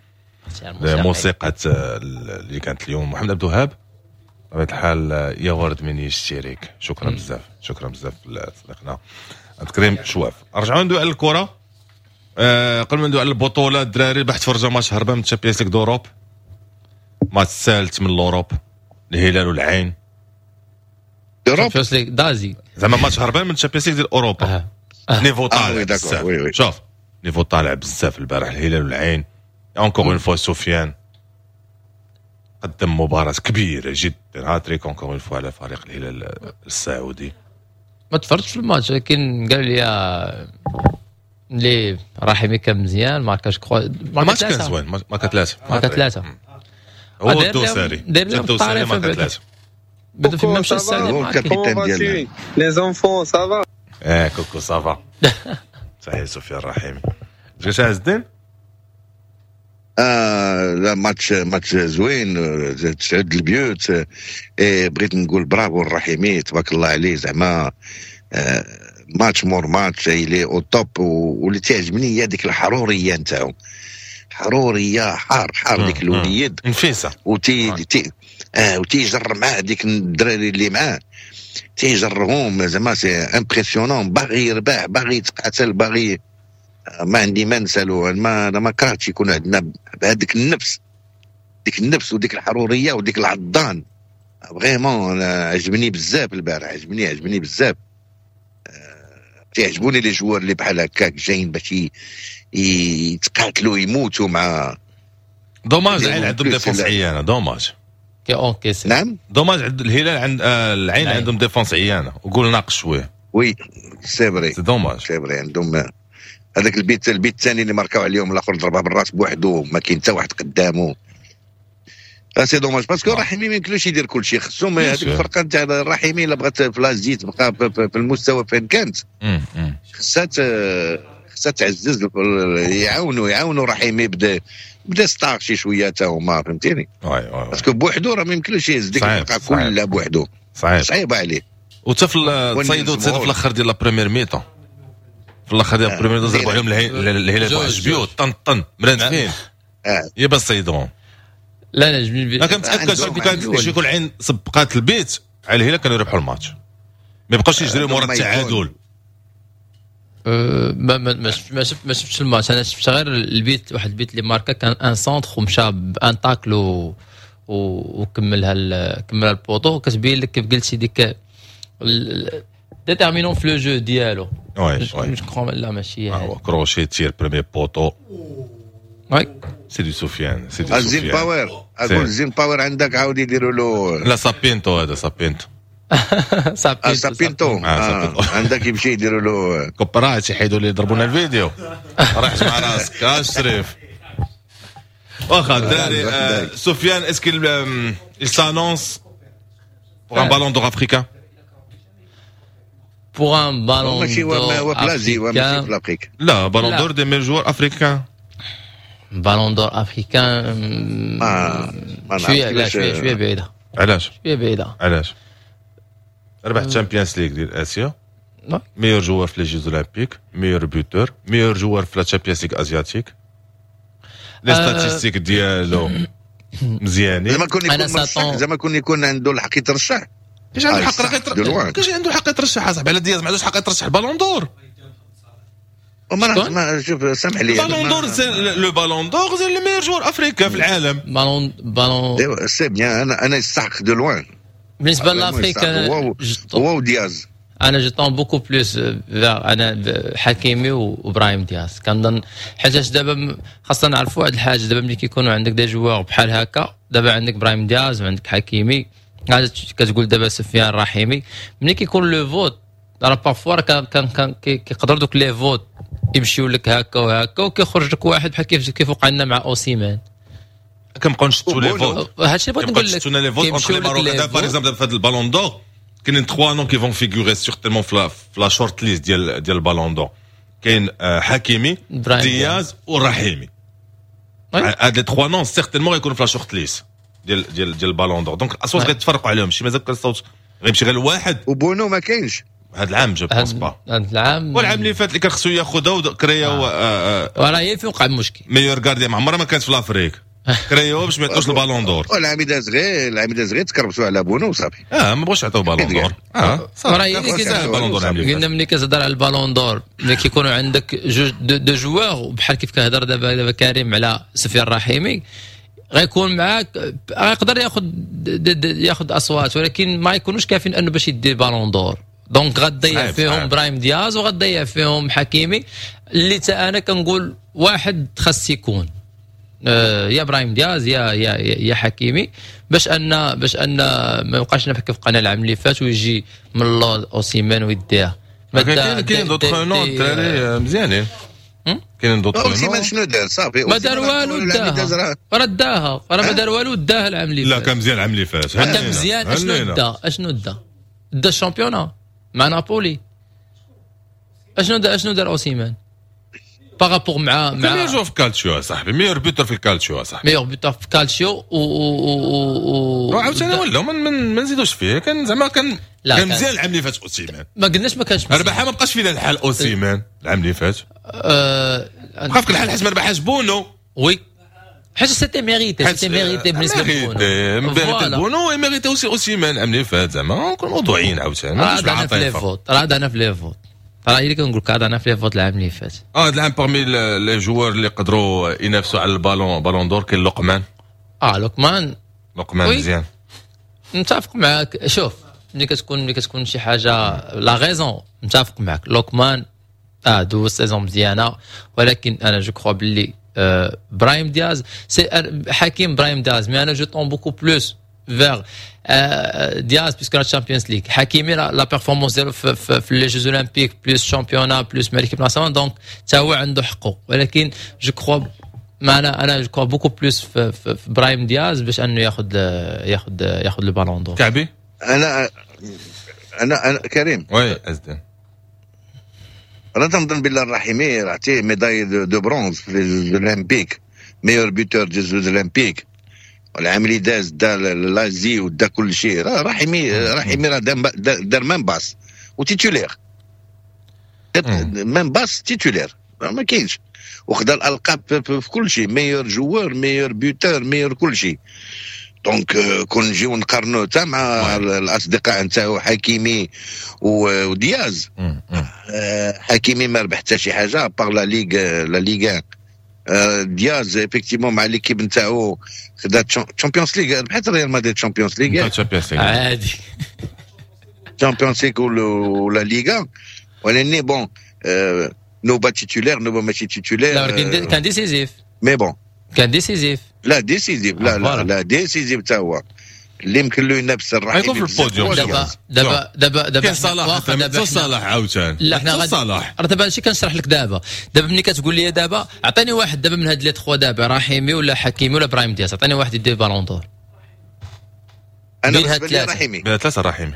موسيقى اللي كانت اليوم. محمد عبد الوهاب بطبيعة الحال يا ورد من يشتريك، شكرا بزاف، شكرا بزاف لصديقنا عبد الكريم شواف. رجعوا ندوي على الكره. أه قبل ما ندوي على البطولة الدراري بحث فرجه ماتش هربان من Champions League d'Europe، ماتش الثالث من l'Europe، الهلال والعين. Champions League d'Asie زعما ماتش هربان من Champions League ديال اوروبا. آه. آه. niveau طالع بزاف، شوف niveau طالع بزاف البارح الهلال والعين. encore une fois سفيان قدم مباراة كبيرة جدا، hat-trick encore une fois على فريق الهلال السعودي. ما تفرجتش في الماتش لكن قال لي لي رحيمي كان مزيان، ماركا je crois الماتش كان زوين، ماركا ثلاثة، ماركا ثلاثة هو الدوساري داير لهم الدوساري ماركا ثلاثة. بدا في مشى السعودي هو ال capitaine ديالنا. les enfants ça va؟ اه coucou ça va. صحيح سفيان رحيمي. اش عز الدين؟ آه لا match match زوين، تسعود البيوت. إيه بغيت نقول برافو الرحيمي تبارك الله عليه، زعما آه ماتش مور match il est au top. واللي تعجبني هي ديك الحرورية نتاعو، حروريه حار حار ديك الوليد نفيسة وتي تي اه وتيجر معاه ديك الدراري اللي معاه تيجرهم، زعما c'est impressionnant. باغي يربح، باغي يتقاتل، باغي ما عندي ما نسالو. ما انا ما كرهتش يكون عندنا بهذيك النفس، ديك النفس وديك الحرورية وديك العضان. vraiment عجبني بزاف البارح، عجبني عجبني بزاف. تيعجبوني les joueurs اللي بحال هكاك جايين باش يتقاتلوا يموتوا مع dommage العين عندهم défense عيانه، dommage. كي encaisse. نعم dommage عند الهلال عند آه العين عندهم défense عيانه وقول ناقص شوية. oui c'est vrai، c'est dommage، c'est vrai. عندهم هذاك البيت البيت الثاني اللي ماركاو عليهم الاخر ضربها بالراس بوحدو، ما كاين حتى واحد قدامه. c'est dommage parce que رحيمي ما يمكنلوش يدير كل شيء، خصهم هذيك الفرقة نتاع الرحيمي الا بغات في l'Asie تبقى في المستوى فين كانت خصها خصها تعزز، يعاونوا يعاونوا رحيمي بدا بدا stars شي شوية حتى هما، فهمتيني؟ parce que بوحدو راه ما يمكنلوش يهز ديك الفرقة كلها بوحدو، صعيب صعيبة عليه. وحتى في تصيدوا تصيدوا في الاخر ديال la première mi-temps، في الاخر ديال la première mi-temps ضربوا عليهم الهلال واحد بيوت طن طن مرانفين يا بس صيدوهم. لا لا جميل. انا كنتاكد كان شي يكون العين سبقات البيت على الهلال كانوا يربحوا الماتش، ما يبقاوش يجريو مورا التعادل. ما ما ما شفت ما شفتش الماتش، انا شفت غير البيت، واحد البيت اللي ماركا كان un centre ومشى ب un tacle وكملها كملها ال poteau. كتبين لك كيف قلتي ديك déterminant في le jeu ديالو. oui oui لا ماشي هو crochet tir premier poteau. oui c'est du سفيان، c'est du الزين سفيان. باور، اقول زين باور عندك عاود يديروا له. لا سابينتو، هذا سابينتو. آه، سابينتو. آه، آه، سابينتو. عندك يمشي يديروا له copyright يحيدوا لي يضربونا الفيديو. راح مع راسك آه، شريف. واخا الدراري، آه، سفيان est-ce qu'il il s'annonce pour un ballon d'or africain؟ pour un ballon ماشي هو هو في l'Asie، هو ماشي في l'Afrique. لا بالون لا. d'or des meilleurs joueurs africains. ballon d'or africain؟ ما ما نعرف شوية لا كيفاش- شوية شوية بعيده. علاش؟ شوية بعيده. علاش؟ ربح Champions League ديال اسيا، نعم. meilleur joueur في les Jeux Olympiques، meilleur buteur، meilleur joueur في la Champions League asiatique. les statistiques ديالو مزيانين. زعما كون أنا يكون مرشح ساتون. زعما كون يكون عنده الحق يترشح. كاش عنده آه، الحق صح، راه de loin. كاش عنده الحق يترشح اصاحبي على دياز ما عندوش الحق يترشح ال ballon d'or. وما شكون؟ نعرف- ما شوف سامح لي ال ballon d'or c'est le ballon d'or، c'est le meilleur joueur africain في العالم. ballon ballon ايوا c'est bien، انا انا يستحق de loin. بالنسبة l'Afrique انا هو هو ودياز. انا je tends beaucoup plus انا حكيمي وابراهيم دياز كنظن، حيت دابا م- خاصنا نعرفوا واحد الحاجه، دابا ملي كيكونوا عندك des joueurs بحال هكا، دابا عندك ابراهيم دياز وعندك حكيمي، هذا كتقول دابا سفيان رحيمي، ملي كيكون le vote راه parfois راه كان كان كان كي- كيقدروا دوك les votes يمشيو لك هكا وهكا وكيخرج لك واحد بحال كيف كيف وقع لنا مع اوسيمان. كنبقاو نشتو les votes. هادشي اللي بغيت نقول لك. نشتو les votes entre كيمشيو les لك Marocains les دابا par votes. exemple في هذا ال ballon d'or كاينين trois noms qui vont figurer certainement في la في la short list ديال ديال ال ballon d'or. كاين آه، حكيمي، براهيم دياز والرحيمي. oui. هاد les trois noms certainement غيكونوا في la short-list ديال ديال ديال ال Ballon d'Or، donc الاصوات oui. غيتفرقوا عليهم، شي مازال كان الصوت غيمشي غير لواحد. وبونو ما كاينش. هذا العام je pense pas. هذا العام. والعام اللي فات اللي كان خصو ياخذها وكرياو آه. وراه هي فين وقع المشكل. meilleur gardien ما عمرها ما كانت في l'Afrique، كرياو باش ما يعطوش ال Ballon d'Or. والعام داز غير العام داز غير تكربسوا على بونو وصافي. اه، ما بغوش يعطيو Ballon d'Or، اه. راه هي اللي صافي، ال Ballon d'Or العام اللي قلنا فات. ملي كتهضر على ال Ballon d'Or، ملي كيكونوا عندك جوج deux, deux joueurs بحال كيف كيهضر دابا دابا كريم على سفيان الرحيمي، غيكون معاك، غيقدر ياخذ ياخذ اصوات، ولكن ما يكونوش كافيين انه باش يدي Ballon d'Or، donc غتضيع صعيب، فيهم صعيب. براهيم دياز وغتضيع فيهم حكيمي، اللي تا انا كنقول واحد خاص يكون آه، يا ابراهيم دياز يا يا يا حكيمي، باش ان باش ان ما يبقاش كيف بقينا العام اللي فات ويجي من اللور اوسيمان ويديها. كاين كاين d'autres noms، الدراري مزيانين، كاينين d'autres noms. اوسيمان شنو دار؟ صافي. ما دار والو، داها، راه داها، راه ما دار والو، داها العام اللي لا فات. كان مزيان العام اللي فات. كان مزيان، اشنو دا؟ اشنو دا؟ دا ال championnat مع نابولي. اشنو دا؟ اشنو دار اوسيمان par rapport مع مع meilleur joueur في كالتشيو صاحبي، meilleur buteur في الكالتشيو صاحبي. meilleur buteur في كالتشيو و و و عاوتاني ولا ما ما نزيدوش فيه، كان زعما كان لا كان مزيان العام اللي فات اوسيمان. ما قلناش ما كانش. ربحها، ما بقاش فينا الحال اوسيمان العام اللي فات. أه بقى فيك الحال حيت ما ربحهاش بونو. oui، حيت c'était mérité، c'était mérité بالنسبة لبونو، mérité بونو، mérité aussi اوسيمان العام اللي فات. زعما نكون موضوعيين عاوتاني. راه في les votes، راه انا في les votes، راه اللي كنقول لك انا في les votes العام اللي فات. اه، هذا العام parmi les joueurs اللي قدروا ينافسوا على ال ballon Ballon d'Or كاين لقمان. اه، لقمان. لقمان مزيان. متفق معاك. شوف، ملي كتكون ملي كتكون شي حاجة la raison، متفق معاك، لوكمان اه دوز saison مزيانه، ولكن انا je crois باللي آه براهيم دياز، c'est حكيم براهيم دياز، mais انا je tends beaucoup plus vers دياز puisque la Champions League. حكيمي la performance ديالو في, في, في les Jeux Olympiques plus championnat plus مع l'équipe nationale، donc حتى هو عنده حقه، ولكن je crois ما انا انا je crois beaucoup plus في, في, في براهيم دياز باش انه ياخذ ياخذ ياخذ ال Ballon d'Or. كعبي. انا انا انا كريم. oui ازدان. انا تنظن بالله الرحيمي عطية médaille de bronze في les Olympiques، meilleur buteur des Jeux Olympiques، العام اللي داز دا l'Asie ودا كل شيء. رحيمي رحيمي راه دار même pas و titulaire، même pas titulaire ما كاينش، وخدا الالقاب في كل شيء، meilleur joueur، meilleur buteur، meilleur كل شيء. donc كون نجيو نقارنو حتى مع الاصدقاء نتاعو حكيمي ودياز، حكيمي ما ربح حتى شي حاجة à part la Ligue la Ligue. دياز effectivement مع l'équipe نتاعو خدا Champions League، ربحت ريال مدريد Champions League. Champions League. عادي. Champions League ولا ليغا، ولكن bon، نوبا titulaire، نوبا ماشي titulaire. لا، ولكن كان décisif. mais bon. كان décisif. لا décisif، لا لا لا، décisif تا هو اللي يمكن له ينافس الرحيمي. يكون في البوديوم. دابا دابا دابا دابا كاين صلاح، دابا صلاح عاوتاني. لا، حنا غادي صلاح. راه دابا هادشي كنشرح لك دابا. دابا ملي كتقول لي دابا عطيني واحد دابا من هاد les trois، دابا رحيمي ولا حكيمي ولا ابراهيم دياز، عطيني واحد يدير Ballon d'Or. انا بالنسبة لي رحيمي. بين ثلاثة رحيمي.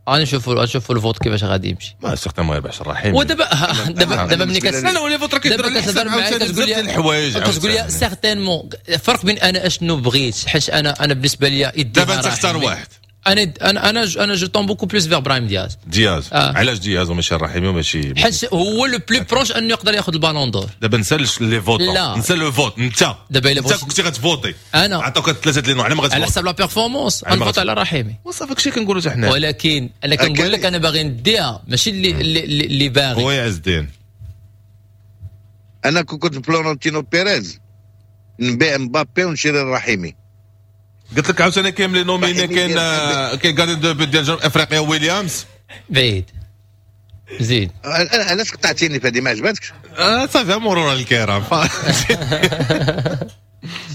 غادي نشوفوا نشوفوا ال vote كيفاش غادي يمشي. ما certainement يربحش الرحيمي. ودابا دابا دابا ملي كت لا لا، les votes راه كيديروا دابا كتهضر معايا كتقول لي الحوايج. كتقول لي certainement، الفرق بين انا اشنو بغيت، حيت انا انا بالنسبة لي دابا انت تختار واحد. انا انا انا انا je tends beaucoup plus vers ابراهيم دياز. دياز آه. علاش دياز وماشي الرحيمي وماشي حيت هو le plus proche انه يقدر ياخذ ال Ballon d'Or. دابا نسى les votes. لا. نسى le vote انت. دابا الا انت كنتي غتفوتي. انا عطوك ثلاثة les noms، على ما غتفوتي؟ على حسب la performance غنفوت على الرحيمي. وصافي، داكشي كنقولوا حتى حنا. ولكن انا كنقول لك انا باغي نديها، ماشي اللي اللي, اللي باغي. هو عز الدين. انا كنت فلورنتينو بيريز نبيع مبابي ونشري الرحيمي. قلت لك عاوتاني كاين les nominés، كاين كاين gardien de but ديال جنوب افريقيا ويليامز. بعيد، زيد. علاش قطعتيني في هذه؟ ما عجبتكش؟ آه صافي، مرورا الكرام.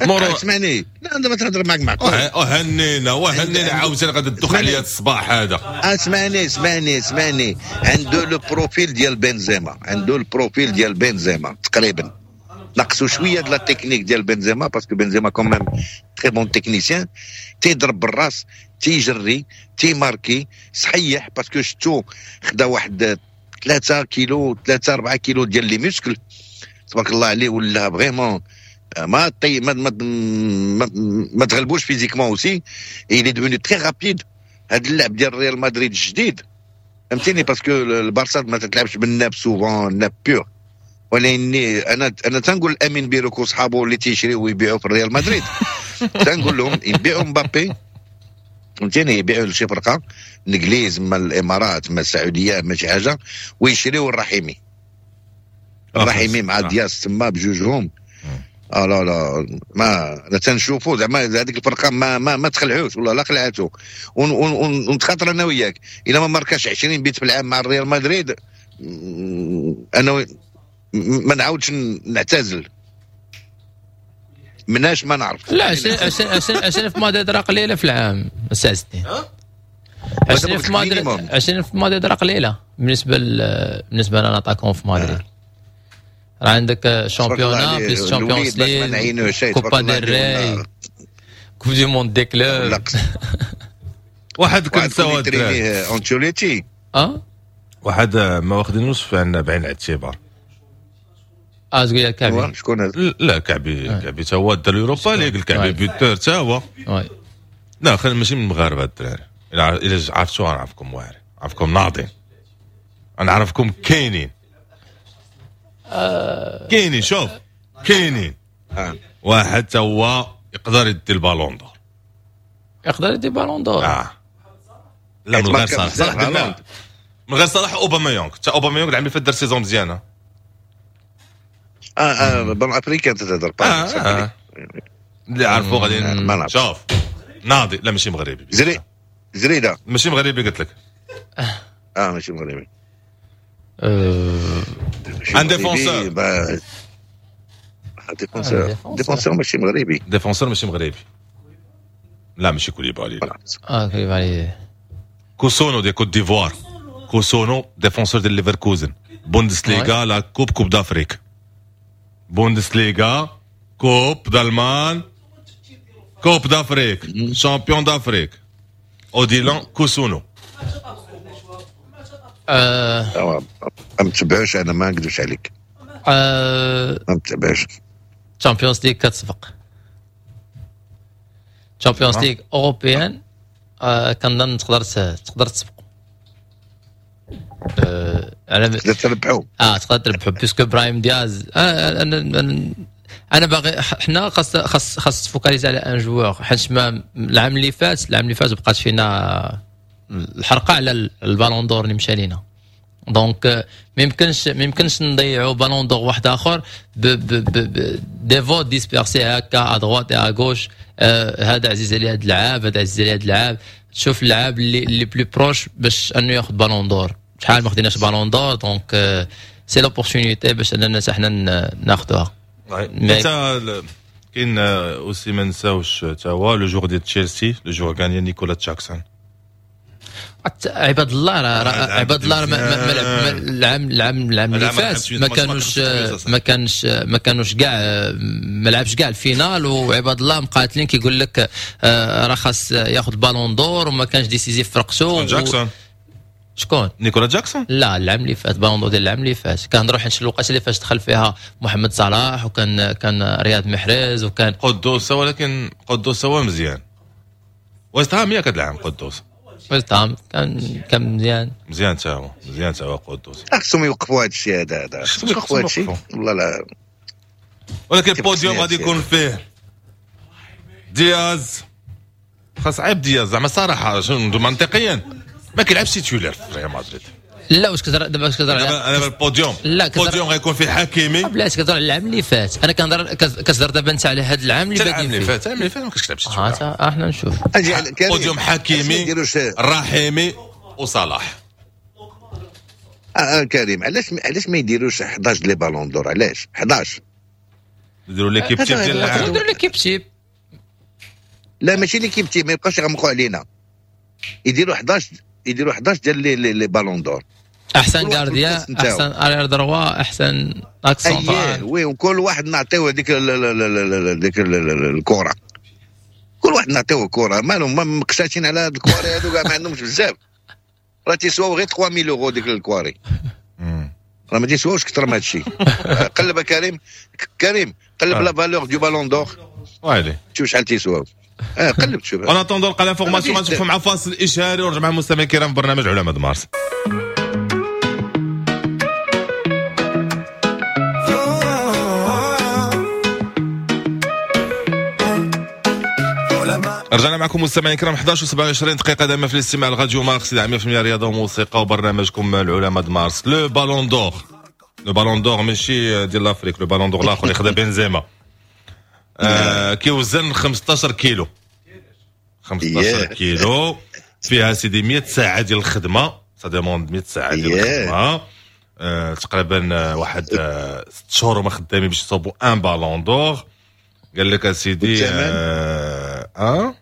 مرور، اسمعني، لا دابا تهضر معك معقول. وهنينا وهنينا، عاوتاني غادي تدوخ عليا الصباح هذا. اسمعني اسمعني اسمعني، عنده le profil ديال بنزيما، عنده ال profil ديال بنزيما تقريبا، نقصوا شوية د la technique ديال بنزيما، parce que بنزيما quand même très bon technicien، تيضرب بالراس، تيجري، تيماركي صحيح، parce que شتو خدا واحد ثلاثة كيلو، ثلاثة أربعة كيلو ديال les muscles، تبارك الله عليه. ولا vraiment ما طي ما ما, ما, ما تغلبوش physiquement aussi، il est devenu très rapide. هذا اللعب ديال ريال مدريد الجديد، فهمتيني، parce que البارسا ما تتلعبش بال neuf souvent، neuf pur. ولكن انا انا تنقول امين بيروك وصحابه اللي تيشريو ويبيعوا في الريال مدريد، تنقول لهم يبيعوا مبابي، فهمتيني، يبيعوا لشي فرقه الانجليز، ما الامارات، ما السعوديه، ما شي حاجه، ويشريوا الرحيمي. الرحيمي مع دياز تما بجوجهم، اه لا لا، ما انا تنشوفوا زعما هذيك الفرقة ما ما, ما تخلعوش، والله لا خلعاتو. ونتخاطر انا وياك، الا ما ماركاش عشرين بيت في العام مع الريال مدريد، انا ما نعاودش نعتزل مناش ما نعرف. لا، عشرين عشرين عشرين عشرين في مدريد راه قليله في العام ساعتين. عشرين في مدريد، عشرين في مدريد راه قليله بالنسبة بالنسبة ل un attaquant في مدريد. راه عندك championnat plus Champions League، Copa del Rey، Coupe du monde des clubs. واحد كنساو انشيلوتي. اه واحد ما واخدينوش بعين الاعتبار. اه، تقول كعبي؟ شكون هذا؟ لا، كعبي كعبي تا هو دا ال Europa League، الكعبي buteur تا هو. لا، خلينا ماشي من المغاربة الدراري، الا عرفتوا نعرفكم واعرين، عرفكم ناضين، نعرفكم كاينين آه كاينين، شوف كاينين آه. واحد تا هو يقدر يدي ال Ballon d'Or. يقدر يدي Ballon d'Or؟ اه لا، من غير صلاح. صلاح من غير صلاح اوباميونغ، تا اوباميونغ العام اللي فات دار saison مزيانه. اه اه ballon africain تهضر؟ آه آه. اللي عرفوا غادي شوف ناضي. لا، ماشي مغربي. زري زريده. ماشي مغربي قلت لك. اه، ماشي مغربي. un défenseur. défenseur، défenseur ماشي مغربي. défenseur ماشي مغربي، لا، ماشي كوليبالي، لا. اه، كوليبالي. كوسونو ديال كوت ديفوار، كوسونو défenseur ديال ليفركوزن، بوندسليغا، la Coupe، Coupe d'Afrique، بوندسليغا، Coupe d'Allemagne، Coupe d'Afrique، champion d'Afrique، اوديلون كوسونو. آه ما متبعوش انا، ما نكذبش عليك. آه ما متبعوش. Champions League كتسبق، Champions League européenne، آه كنظن تقدر تقدر تسبقوا. آه على تقدر تربحوا. اه، تقدر تربحوا puisque براهيم دياز آه انا انا باغي حنا خاص خاص خاص تفوكاليز على un joueur، حيت ما العام اللي فات العام اللي فات بقات فينا الحرقة على ال Ballon d'Or اللي مشى لينا، donc ما يمكنش ما يمكنش نضيعوا Ballon d'Or واحد اخر ب ب des votes dispersés هكا à droite à gauche، هذا عزيز عليه هذا اللعاب، هذا عزيز عليه هذا اللعاب. تشوف اللعاب اللي اللي plus proche باش انه ياخذ Ballon d'Or. شحال ما خديناش Ballon d'Or، donc c'est l'opportunité باش اننا حنا ناخذوها. انت كاين aussi، ما نساوش تا هو le joueur ديال تشيلسي، le joueur ghanéen نيكولا جاكسون. عباد الله، راه عباد الله ما العام العام العام اللي فات ما كانوش ما كانش ما كانوش كاع، ما لعبش كاع ال finale، وعباد الله مقاتلين، كيقول لك آه، راه خاص ياخذ Ballon d'Or وما كانش décisif في فرقته. جاكسون. شكون؟ نيكولا جاكسون. لا، العام اللي فات، Ballon d'Or ديال العام اللي فات. كنهضروا حيت الوقت اللي فاش دخل فيها محمد صلاح وكان كان رياض محرز وكان قدوس، ولكن قدوس هو مزيان، ويست هام ياك هذا العام قدوس؟ ويست هام كان كان مزيان. مزيان تا هو، مزيان تا هو قدوس. خصهم يوقفوا هذا الشيء هذا هذا خصهم يوقفوا هذا الشيء، والله لا. ولكن البوديوم غادي يكون فيه دياز، خاص عيب دياز زعما صراحة منطقيا ما كيلعبش titulaire في ريال مدريد. لا، واش كتهضر دابا؟ واش كتهضر؟ دابا البوديوم. لا. البوديوم غيكون فيه حكيمي. بلاتي، كتهضر على العام اللي فات، انا كنهضر، كتهضر دابا انت على هذا العام اللي العام اللي فات، العام اللي فات ما كنتش كتلعب. اه، احنا نشوف. بوديوم حكيمي، الرحيمي وصلاح. اه, آه كريم، علاش علاش ما يديروش حداش les Ballons d'Or؟ علاش حداش؟ يديروا l'équipe type ديال العام. يديروا l'équipe type. لا، ماشي l'équipe type، ما يبقاش يغمقوا علينا، يديروا حداش، يديروا حداش ديال les les Ballons d'Or. احسن gardien، احسن arrière droit، احسن axe central. اييه oui، وكل واحد نعطيوه ديك ديك الكره، كل واحد نعطيوه كره. مالهم ما مقشاشين على هاد الكواري هادو كاع؟ ما عندهمش بزاف، راه تيسواو غير ثلاثة آلاف يورو ديك الكواري. راه ما تيسواوش اكثر من هادشي. قلب كريم، كريم قلب la valeur du ballon d'or، ويلي شوف شحال تيسواو. اه قلب شوف. en attendant نلقى l'information، غنشوفوا مع فاصل اشهاري ونرجع مع المستمعين الكرام في برنامج علماء مارس. رجعنا معكم مستمعين الكرام إحدى عشر وسبعة وعشرين دقيقة دائما في الاستماع لراديو مارس مية بالمية رياضة وموسيقى وبرنامجكم العلماء مارس. le ballon d'or، le ballon d'or ماشي ديال l'Afrique، le ballon d'or الاخر اللي خدا بنزيما، آه كيوزن خمسطاش كيلو، خمسطاش كيلو فيها سيدي مية ساعة ديال الخدمة، ça demande مية ساعة ديال الخدمة، آه تقريبا واحد آه ست شهور هما خدامين باش يصوبوا un ballon d'or. قال لك اسيدي اه, آه؟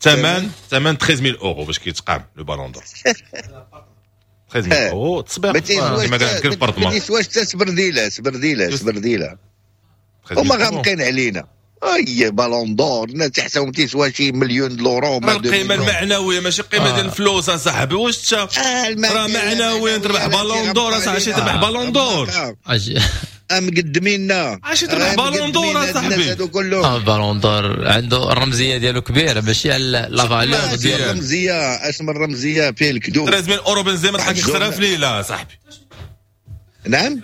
ثمن ثمن ثلاثة عشر ألف اورو باش كيتقام le ballon d'or. ثلاثة عشر ألف اورو تصبيغ كما قال لك البرطمان، ما تيسواش حتى سبرديله سبرديله سبرديله، هما غامقين علينا. اي ballon d'or الناس تحسهم تيسوا شي مليون l'euro. القيمة المعنوية ماشي قيمة ديال الفلوس اصاحبي، واش راه معنويا تربح ballon d'or اصاحبي، شي تربح ballon d'or مقدمينا، عشان تربح ballon d'or اصاحبي. اه ballon d'or عنده الرمزية ديالو كبيرة، ماشي على la valeur ديال الرمزية. اش من الرمزية فيه الكذوب. ثلاثة آلاف اورو بنزيما تحق خسرها في ليلة صاحبي. نعم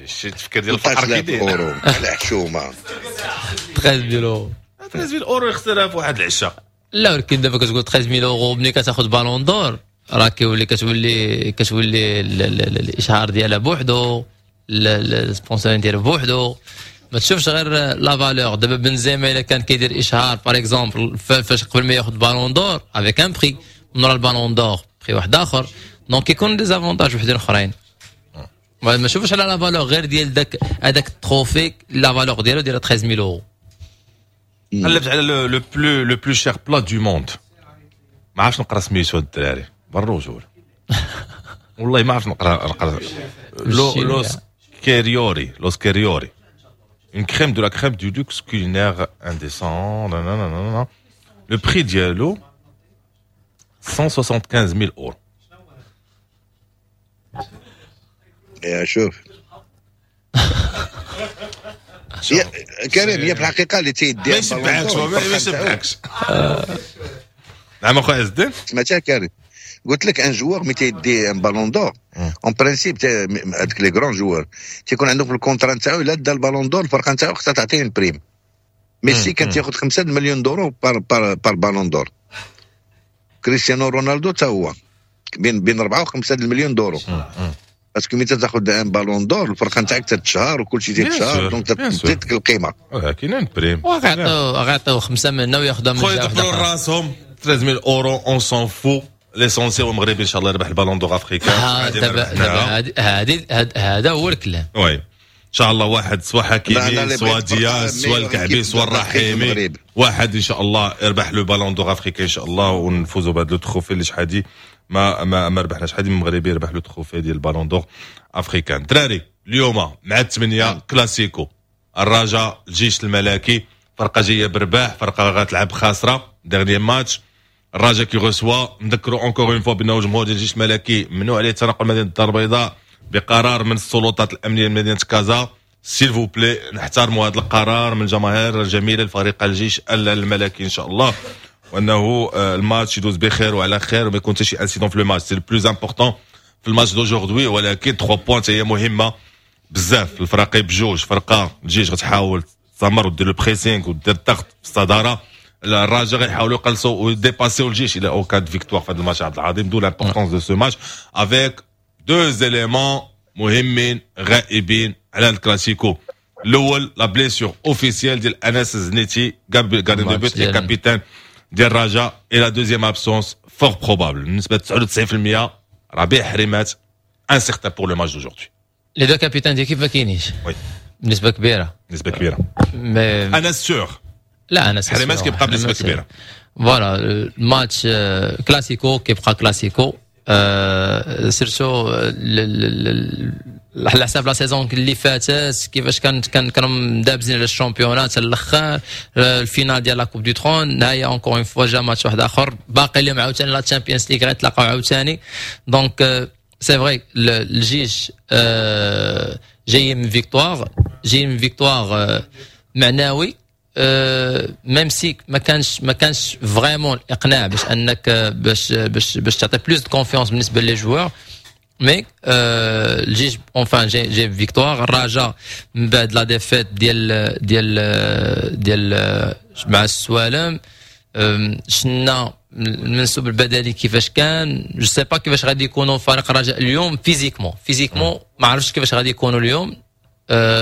شي تفكير ديال الفقر كيدير اورو على حشومه. ثلاثة آلاف اورو، ثلاثة آلاف اورو يخسرها في واحد العشاء. لا ولكن دابا كتقول ثلاثة آلاف اورو ملي كتاخذ ballon d'or راه كيولي كتولي كتولي الاشهار ديالها بوحدو، ال sponsoring ديالها بوحدو، ما تشوفش غير la valeur. دابا بنزيما الا كان كيدير اشهار par exemple فاش قبل ما ياخذ ballon d'or avec un prix، من ورا ال ballon d'or prix واحد اخر، donc كيكون des avantages وحدين اخرين. ما نشوفش على la valeur غير ديال داك هذاك ال trophée، la valeur ديالو ديال ثلاثة آلاف اورو. قلبت على le plus le plus cher plat du monde، ما عرفتش نقرا سميتو الدراري بالرجول والله ما عرفت نقرا نقرا لو لوس كيريوري، لوس كيريوري une crème de la crème du luxe culinaire indécent. nanana. Le prix ديالو cent soixante-quinze mille euros. يا شوف يا كريم، هي في الحقيقة اللي تيديها ما يشبعكش، ما يشبعكش. نعم اخويا عز الدين، سمعتها كريم، قلت لك un joueur ملي تيدي un ballon d'or en principe هذوك les grands joueurs تيكون عندهم في ال contrat نتاعو الا دا ال ballon d'or الفرقة نتاعو خصها تعطيه une prime. ميسي كان تياخذ خمسة مليون d'euros par par par ballon d'or، كريستيانو رونالدو تا هو بين بين أربعة وخمسة مليون d'euros. parce que ملي تاخذ un ballon d'or الفرقة نتاعك تتشهر وكل شيء تتشهر، donc تزيدك القيمة. كاين une prime وغيعطيو غيعطيو خمسة منا وياخذها من خويا، يدبروا راسهم ثلاثة آلاف اورو on s'en fout. l'essentiel هو المغربي ان شاء الله يربح ال ballon d'or africain. دابا دابا هذه هذا هو الكلام. oui ان شاء الله واحد سوا حكيمي سوا دياز سوا الكعبي سوا الرحيمي، واحد ان شاء الله يربح le ballon d'or africain ان شاء الله، ونفوزوا بهذا le trophée اللي شحال هادي ما ما ما ربحناش. شحال من مغربي ربح le trophée ديال ال ballon d'or africain. دراري اليوم مع الثمانية كلاسيكو، الرجاء الجيش الملكي، فرقه جاية برباح، فرقه غتلعب خاسرة dernier match. الرجاء qui reçoit، نذكروا encore une fois بانه الجمهور ديال الجيش الملكي ممنوع عليه التنقل مدينة الدار البيضاء بقرار من السلطات الامنية لمدينة كازا. s'il vous plaît نحترموا هذا القرار من الجماهير الجميلة لفريق الجيش الملكي ان شاء الله، وانه الماتش يدوز بخير وعلى خير وما يكون حتى شي incident في le match، c'est le plus important في الماتش d'aujourd'hui. ولكن ثلاثة points هي مهمة بزاف الفرقين بجوج. فرقه الجيش غتحاول تستمر ودير le pressing ودير الضغط في الصدارة، الرجاء غيحاولوا يقلصوا ويديباسيو الجيش الى en cas de victoire في هذا الماتش عبد العظيم. d'où l'importance de ce match avec deux éléments مهمين غائبين على الكلاسيكو. الاول la blessure officielle ديال انس زنيتي gardien de but capitaine ديال الرجاء، et la deuxième absence fort probable بالنسبة تسعة وتسعين بالمية ربيع حريمات incertain pour le match d'aujourd'hui. les deux capitaines ديال كيف ما كاينينش oui بنسبة كبيرة، نسبه كبيرة mais انا sûr لا انا حريمات كيبقى بنسبة كبيرة. voilà الماتش كلاسيكو كيبقى كلاسيكو، surtout على حساب la saison اللي فاتت، كيفاش كانت كان كانوا مدابزين على ال championnat حتى الاخر، ال finale ديال la Coupe du Trône. هي encore une fois جا ماتش واحد اخر، باقي لهم عاوتاني la Champions League، غيتلاقاو عاوتاني. donc c'est vrai الجيش جاي من victoire، جاي من victoire معنوي، même si ما كانش ما كانش vraiment الاقناع باش انك باش باش باش تعطي plus de confiance بالنسبة les joueurs، mais الجيش enfin جاي جاي victoire. الرجاء من بعد la défaite ديال ديال ديال مع السوالم، شنا المنسوب البدني كيفاش كان، je sais pas كيفاش غادي يكونوا فريق الرجاء اليوم physiquement physiquement ما عرفتش كيفاش غادي يكونوا اليوم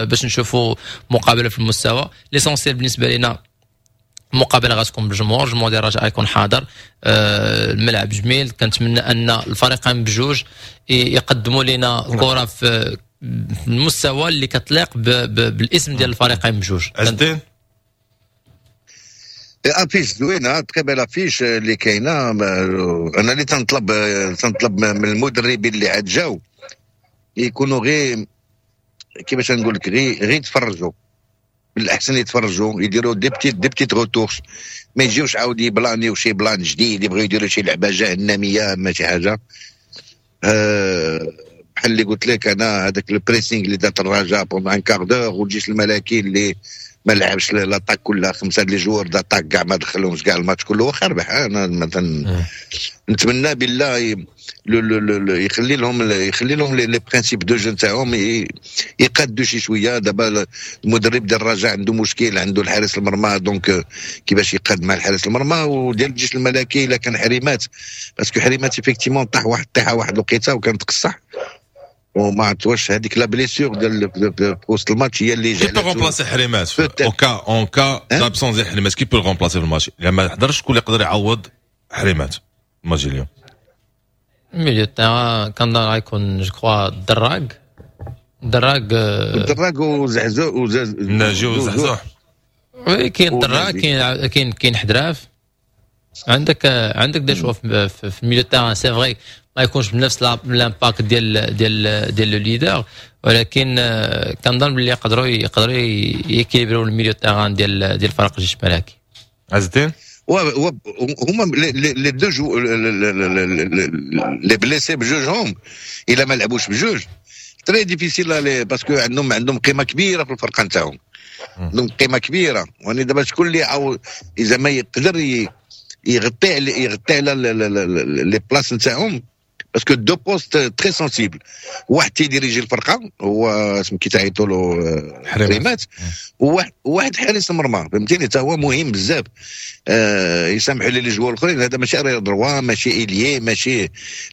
باش نشوفوا مقابله في المستوى. l'essentiel بالنسبة لنا المقابلة غتكون بالجمهور، الجمهور ديال الرجاء غيكون حاضر، الملعب جميل. كنتمنى ان الفريقين بجوج يقدموا لنا كره في المستوى اللي كتليق بالاسم ديال الفريقين بجوج. عز الدين. affiche زوينه، très belle affiche اللي كاينه. انا اللي تنطلب تنطلب من المدربين اللي عاد جاو يكونوا غير، كيفاش نقول لك، غير غير يتفرجوا، بالاحسن يتفرجوا، يديروا des petites des petites retouches، ما يجيوش عاود يبلانيو شي plan جديد، يبغيو يديروا شي لعبه جهنميه ما شي حاجه. أه بحال اللي قلت لك انا، هذاك ال pressing اللي دارت الرجاء pendant un quart d'heure، والجيش الملكي اللي ما لعبش l'attaque كلها، خمسة les joueurs d'attaque كاع ما دخلهمش كاع الماتش كله، واخا ربح. انا مثلا نتمنى بالله يخلي لهم يخلي لهم les principes de jeu نتاعهم، يقادوا شي شويه. دابا المدرب ديال الرجاء عنده مشكل، عنده الحارس المرمى، donc كيفاش يقاد مع الحارس المرمى؟ وديال الجيش الملكي الا كان حريمات، parce que حريمات effectivement طاح واحد الطيحه واحد الوقيته وكانت قصح، وما عرفت واش هذيك la blessure ديال في وسط الماتش هي اللي qui peut remplacer حريمات au cas en cas d'absence ديال حريمات؟ qui peut remplacer في الماتش؟ الا ما حضرش، شكون اللي يقدر يعوض حريمات الماتش اليوم؟ milieu terrain كنظن غيكون je crois دراك دراك. الدراك وزعزوع. ناجي وزعزوع. oui، كاين دراك، كاين كاين كاين حدراف، عندك عندك des choix في milieu terrain. c'est vrai ما يكونش بنفس l'impact ديال ديال ديال le leader، ولكن كنظن باللي يقدروا يقدروا يكيليبروا ال milieu terrain ديال ديال فريق الجيش الملكي. عز الدين. هما les deux jou les blessés بجوجهم، الا ما لعبوش بجوج très difficile، parce que عندهم عندهم قيمة كبيرة في الفرقة نتاعهم، عندهم قيمة كبيره. واني دابا شكون اللي عاو اذا ما يقدر يغطي يغطي على les places نتاعهم؟ parce que deux postes très sensibles، واحد تيديريجي الفرقة هو اسم كي تعيطوا له حريمات، وواحد واحد حارس المرمى، فهمتيني؟ حتى هو مهم بزاف. آه يسامحوا لي les joueurs الاخرين، هذا ماشي arrière droit، ماشي ailier، ماشي،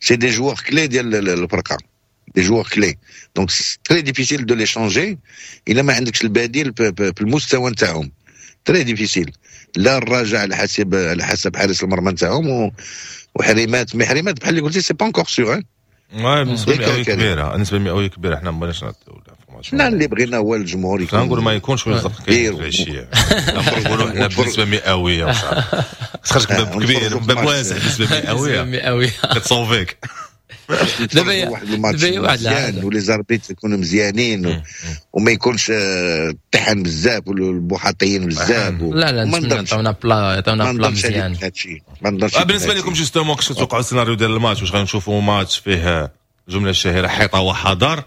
c'est des joueurs clés ديال الفرقه، des joueurs clés، donc très difficile de les changer الا ما عندكش البديل في المستوى نتاعهم، très difficile. لا الرجاء على حسب على حسب حارس المرمى نتاعهم وحريمات، mais حريمات بحال اللي قلتي c'est pas encore sûr. النسبة المئويه كبيره، النسبة المئويه كبيره، حنا ما بغيناش نعطيو. حنا اللي بغينا هو الجمهور يكون، نقول ما يكونش ويزق كاين في العشيه، نقولوا حنا بنسبة مئويه، خرجك باب كبير، باب واسع، نسبه مئوية مئويه. كتصوفيك. دابا واحد الماتش مزيان و les arbitres يكونوا مزيانين وما يكونش الطحن بزاف والبوحاطيين بزاف. لا لا، نتمنى يعطيونا plat، يعطيونا plat مزيان. ما نضنش. بالنسبة لكم justement، كيفاش توقعوا السيناريو ديال الماتش؟ واش غنشوفوا ماتش فيه الجملة الشهيرة حيطة وحضر،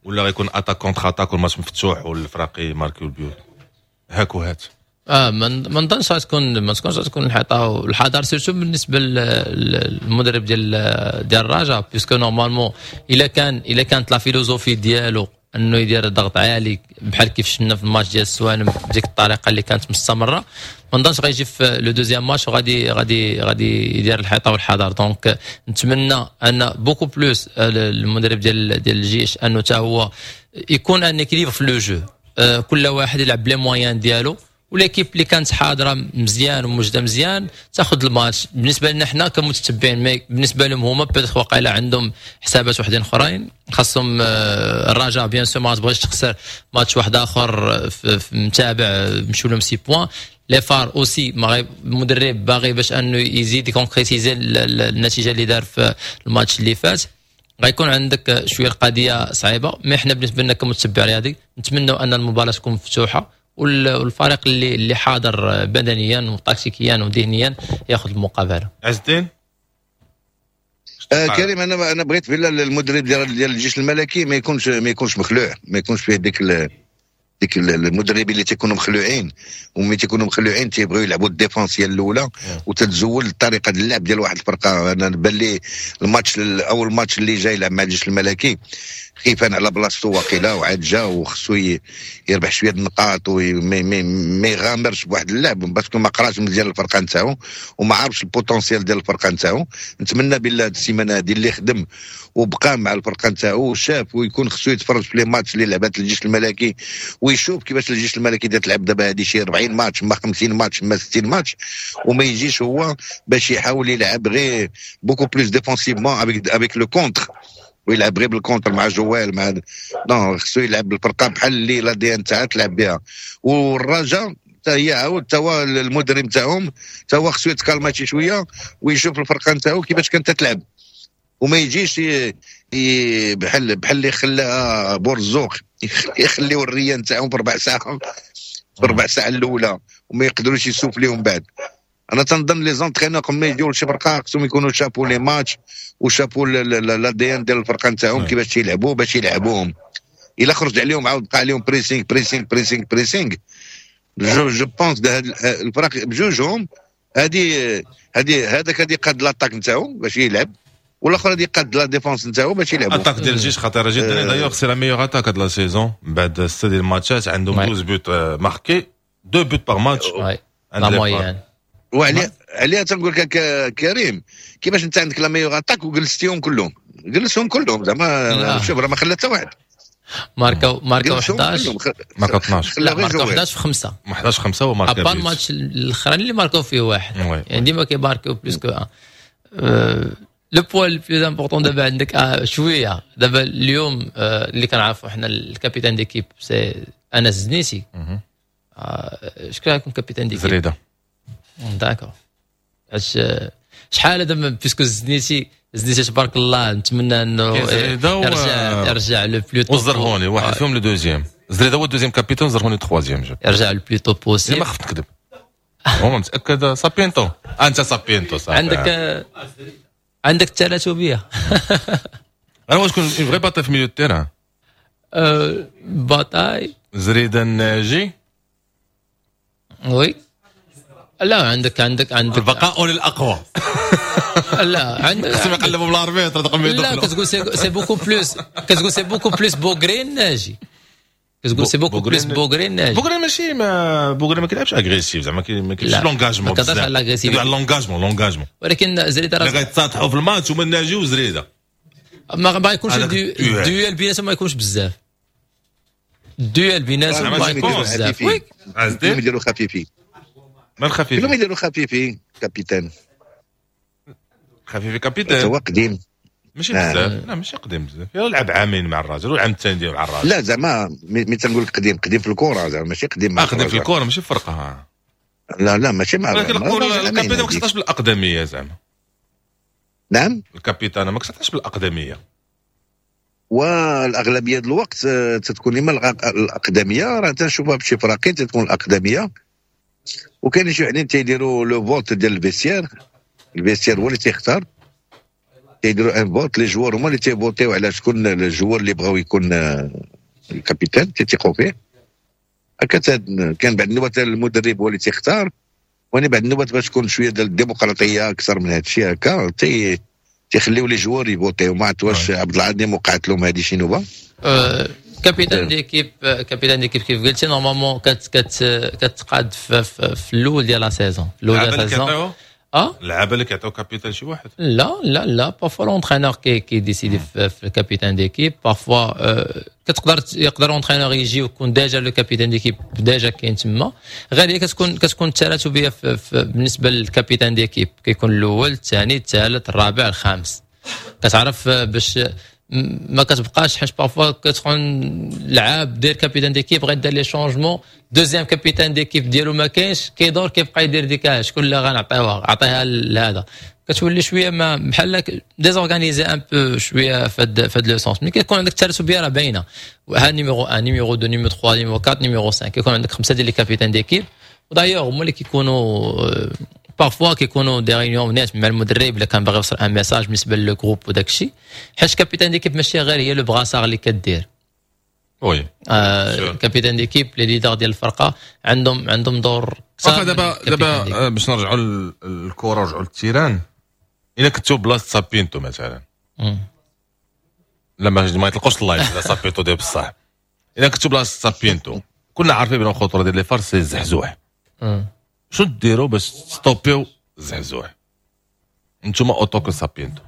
ولا غيكون attaque contre-attaque والماتش مفتوح والفراقي ماركيو البيوت هاك وهات؟ اه ما نظنش غتكون ما تكونش غتكون الحيطة والحذر، surtout بالنسبة للمدرب ديال ديال الرجاء، puisque normalement الا كان الا كانت la philosophie ديالو انه يدير ضغط عالي بحال كيف شفنا في الماتش ديال السوالم بديك الطريقة اللي كانت مستمره، ما نظنش غيجي في le deuxième match وغادي غادي غادي يدير الحيطة والحذر. donc نتمنى ان beaucoup plus المدرب ديال ديال الجيش انه حتى هو يكون un équilibre في le jeu، كل واحد يلعب ب les moyens ديالو، و l'équipe اللي كانت حاضره مزيان وموجودة مزيان تاخذ الماتش. بالنسبة لنا حنا كمتتبعين، mais بالنسبة لهم هما peut-être واقيلا عندهم حسابات وحدين اخرين خاصهم. آه، الرجاء bien sûr ما تبغيش تخسر ماتش واحد اخر في متابع، مشيو لهم six points. les FAR aussi المدرب باغي باش انه يزيد يكونكريتيزي النتيجة اللي دار في الماتش اللي فات. غيكون عندك شوية القضية صعيبه. mais حنا بالنسبة لنا كمتبع رياضي نتمنوا ان المباراة تكون مفتوحة والفريق اللي اللي حاضر بدنيا وتكتيكيا وذهنيا ياخذ المقابله. عز الدين. آه كريم، انا انا بغيت بالله المدرب ديال ديال الجيش الملكي ما يكونش ما يكونش مخلوع، ما يكونش فيه ديك ديك المدربين اللي تيكونوا مخلوعين، وملي تيكونوا مخلوعين تيبغيو يلعبوا ال défense هي الاولى وتتزول الطريقة ديال اللعب ديال واحد الفرقه. انا بان لي الماتش، اول ماتش اللي جاي يلعب مع الجيش الملكي، خيفان على بلاصتو واقيلا، وعاد جا وخصو يربح شوية النقاط وما يغامرش بواحد اللعب parce que ما قراش مزيان الفرقة نتاعو وما عارفش ال potentiel ديال الفرقة نتاعو. نتمنى بالله هاد السيمانة هادي اللي خدم وبقى مع الفرقة نتاعو وشاف، ويكون خصو يتفرج في les matchs اللي لعبات الجيش الملكي ويشوف كيفاش الجيش الملكي تلعب دابا هادي شي أربعين ماتش ما خمسين ماتش ما ستين ماتش، وما يجيش هو باش يحاول يلعب غير beaucoup plus défensivement avec avec le contre ويلعب غير بال contre مع جوال مع non، خصو يلعب بالفرقة بحال اللي l'ADN تاعها تلعب بها. والرجاء حتى هي عاود تا هو المدرب تاعهم تا هو خصو يتكالما شي شوية ويشوف الفرقة نتاعو كيفاش كانت تلعب، وما يجيش بحال بحال اللي خلاها بورزوق يخليو الريان تاعهم في ربع ساعه في ربع ساعة الاولى وما يقدروش يسوفليهم بعد. انا تنظن les entraîneurs قبل ما يجيو لشي فرقه خصهم يكونوا شافوا les matchs وشافوا l'ADN ديال الفرقة نتاعهم كيفاش تيلعبوا باش يلعبوهم. الا خرج عليهم عاود بقى عليهم pressing pressing pressing pressing، je je pense الفرق بجوجهم هادي هادي هذاك هادي قاد l'attaque نتاعو باش يلعب، والاخر غادي يقاد la défense نتاعو باش يلعبوا. attaque ديال الجيش خطيرة جدا، d'ailleurs c'est la meilleure attaque هاد la saison. بعد ستة ديال الماتشات عندهم douze buts marqués، deux buts par match. la moyenne. وعليها عليها تنقول لك كريم، كيفاش انت عندك la meilleure attaque وجلستيهم كلهم؟ جلسهم كلهم زعما، شوف راه ما خلى حتى واحد. ماركاو ماركاو حداش. ماركاو اثنا عشر. لا، ماركاو حداش في خمسة. حداش خمسة وماركا à part الماتش الاخراني اللي ماركاو فيه واحد، يعني ديما كيماركاو plus que un. le point le plus important دابا عندك آه شوية دابا اليوم آه اللي كنعرفوا حنا ال capitaine d'équipe c'est انس زنيتي. آه شكون غيكون capitaine d'équipe؟ زريده. d'accord، علاش شحال هذا؟ puisque زنيتي زنيتي تبارك الله، نتمنى انه يرجع يرجع le plus tôt. والزرهوني واحد فيهم le deuxième. زريده هو ال deuxième capitaine، زرهوني troisième. يرجع le plus tôt possible. ما خفت نكذب، هو متاكد سابينتو، انت سابينتو صافي. عندك عندك التراتبيه. انا واش تكون une vraie bataille في milieu terrain؟ bataille. زريده الناجي. oui، لا، عندك عندك عندك البقاء للاقوى. لا، عندك خصهم يقلبوا بال arbitre. لا، كتقول c'est beaucoup plus، كتقول c'est beaucoup plus بوغرين ناجي، كتقول c'est beaucoup plus بوغرين ناجي. بوغرين ماشي ما بوغرين ما كيلعبش agressif زعما، ما كيلعبش l'engagement. ما كتهضرش على l'agressivité، على l'engagement l'engagement. ولكن زريده راه غيتصاطحوا في الماتش هما الناجي وزريده. ما ما يكونش ال duel بيناتهم، ما يكونش بزاف ال duel بيناتهم، ما يكونش بزاف. oui، يديروا خفيفي. ما الخفيفي؟ كلهم يديروا خفيفي capitaine. خفيفي capitaine. هو قديم. ماشي بزاف، لا، ماشي قديم بزاف، يلا لعب عامين مع الرجاء والعام الثاني ديالو مع الرجاء. لا، زعما ملي تنقول لك قديم، قديم في الكره زعما، ماشي قديم مع قديم في الكره ماشي في الفرقه. لا لا، ماشي مع ولكن ال capitaine ما كتعطاش بالاقدميه زعما. نعم. ال capitaine ما كتعطاش بالاقدميه. والاغلبيه ديال الوقت آه، تتكون اما الاقدميه، راه تنشوفها بشي فراقين تتكون الاقدميه، وكاين شي وحدين تيديروا le vote ديال ال vestiaire، ال vestiaire هو اللي تيختار، تيديروا un vote، les joueurs هما اللي تيفوتيو على شكون ال joueur اللي بغاو يكون آه، ال capitaine، تيثيقوا فيه هكا. كان بعد النوبات المدرب هو اللي تيختار، وانا بعد النوبات باش تكون شوية ديال الديمقراطية اكثر من هذا الشيء هكا تي تيخليو les joueurs يفوتيو. ما عرفت واش عبد العظيم وقعت لهم هذه شي نوبه. capitaine d'équipe capitaine d'équipe كيف قلتي، normalement كت كت كتقاد في, في, في الاول ديال la saison، في الاول ديال la saison. اه اللعابه اللي كيعطيو capitaine شي واحد؟ لا لا لا، parfois l'entraîneur كي كي décider في, في ال capitaine d'équipe. parfois كتقدر يقدر l'entraîneur يجي ويكون déjà le capitaine d'équipe déjà كاين تما. غير هي كتكون كتكون التراتبيه في في بالنسبة لل capitaine d'équipe، كيكون الاول، الثاني، الثالث، الرابع، الخامس، كتعرف باش ما كتبقاش، حيت parfois كتكون لعاب دير capitaine d'équipe غيدير les changements، deuxième capitaine d'équipe ديالو ما كاينش، كيدور كيبقى يدير ديك شكون اللي غنعطيوها، عطيها لهذا. كتولي شوية ما بحال désorganisé un peu شوية فهاد فهاد le sens. ملي كيكون عندك التراتبيه راه باينة، ها numéro واحد، numéro اثنين، numéro ثلاثة، numéro أربعة، numéro خمسة، كيكون عندك خمسة ديال les capitaines d'équipe. و d'ailleurs هما اللي كيكونوا parfois كيكونوا des réunions نيت مع المدرب الا كان باغي يوصل un message بالنسبة le groupe وداك الشيء، حيت capitaine d'équipe ماشي غير هي le brassard اللي كدير. oui. آه capitaine d'équipe، les leaders ديال الفرقة عندهم عندهم دور. دابا دابا باش نرجعوا للكرة، نرجعوا لل terrain، الا كنتو بلاصة سابينتو مثلا، لا ما ما يطلقوش ال live لا سابينتو ديال بصح، الا كنتو بلاصة سابينتو، كنا عارفين بان الخطورة ديال les FAR c'est الزحزوح، شنو ديروا باش تستوبيو الزحزوح انتوما en tant que سابينتو؟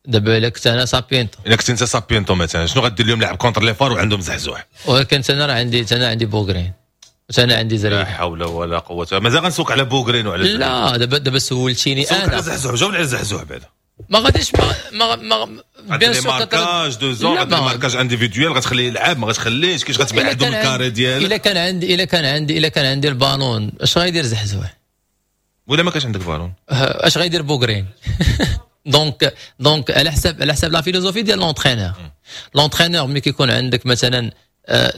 دابا الا كنت انا سابينتو؟ الا كنت انت سابينتو مثلا، شنو غدير اليوم لعب contre les FAR وعندهم زحزوح؟ ولكن انا راه عندي، انا عندي بوغرين، انا عندي زريده. لا حول ولا قوه، مازال غنسوق على بوغرين وعلى لا دابا دابا سولتيني انا على زحزوح، جاوبني على زحزوح بعدا. ما غاديش ما ما ما bien sûr marquage de zone، marquage individuel، غتخليه يلعب ما غتخليش؟ كيفاش غتبعدو من ال carré ديالك؟ الا كان عندي الا كان عندي الا كان عندي البالون، اش غايدير زحزوح؟ ولا ما كانش عندك بالون؟ اش غايدير بوغرين؟ donc donc على حساب على حساب la philosophie ديال l'entraîneur. l'entraîneur ملي كيكون عندك مثلا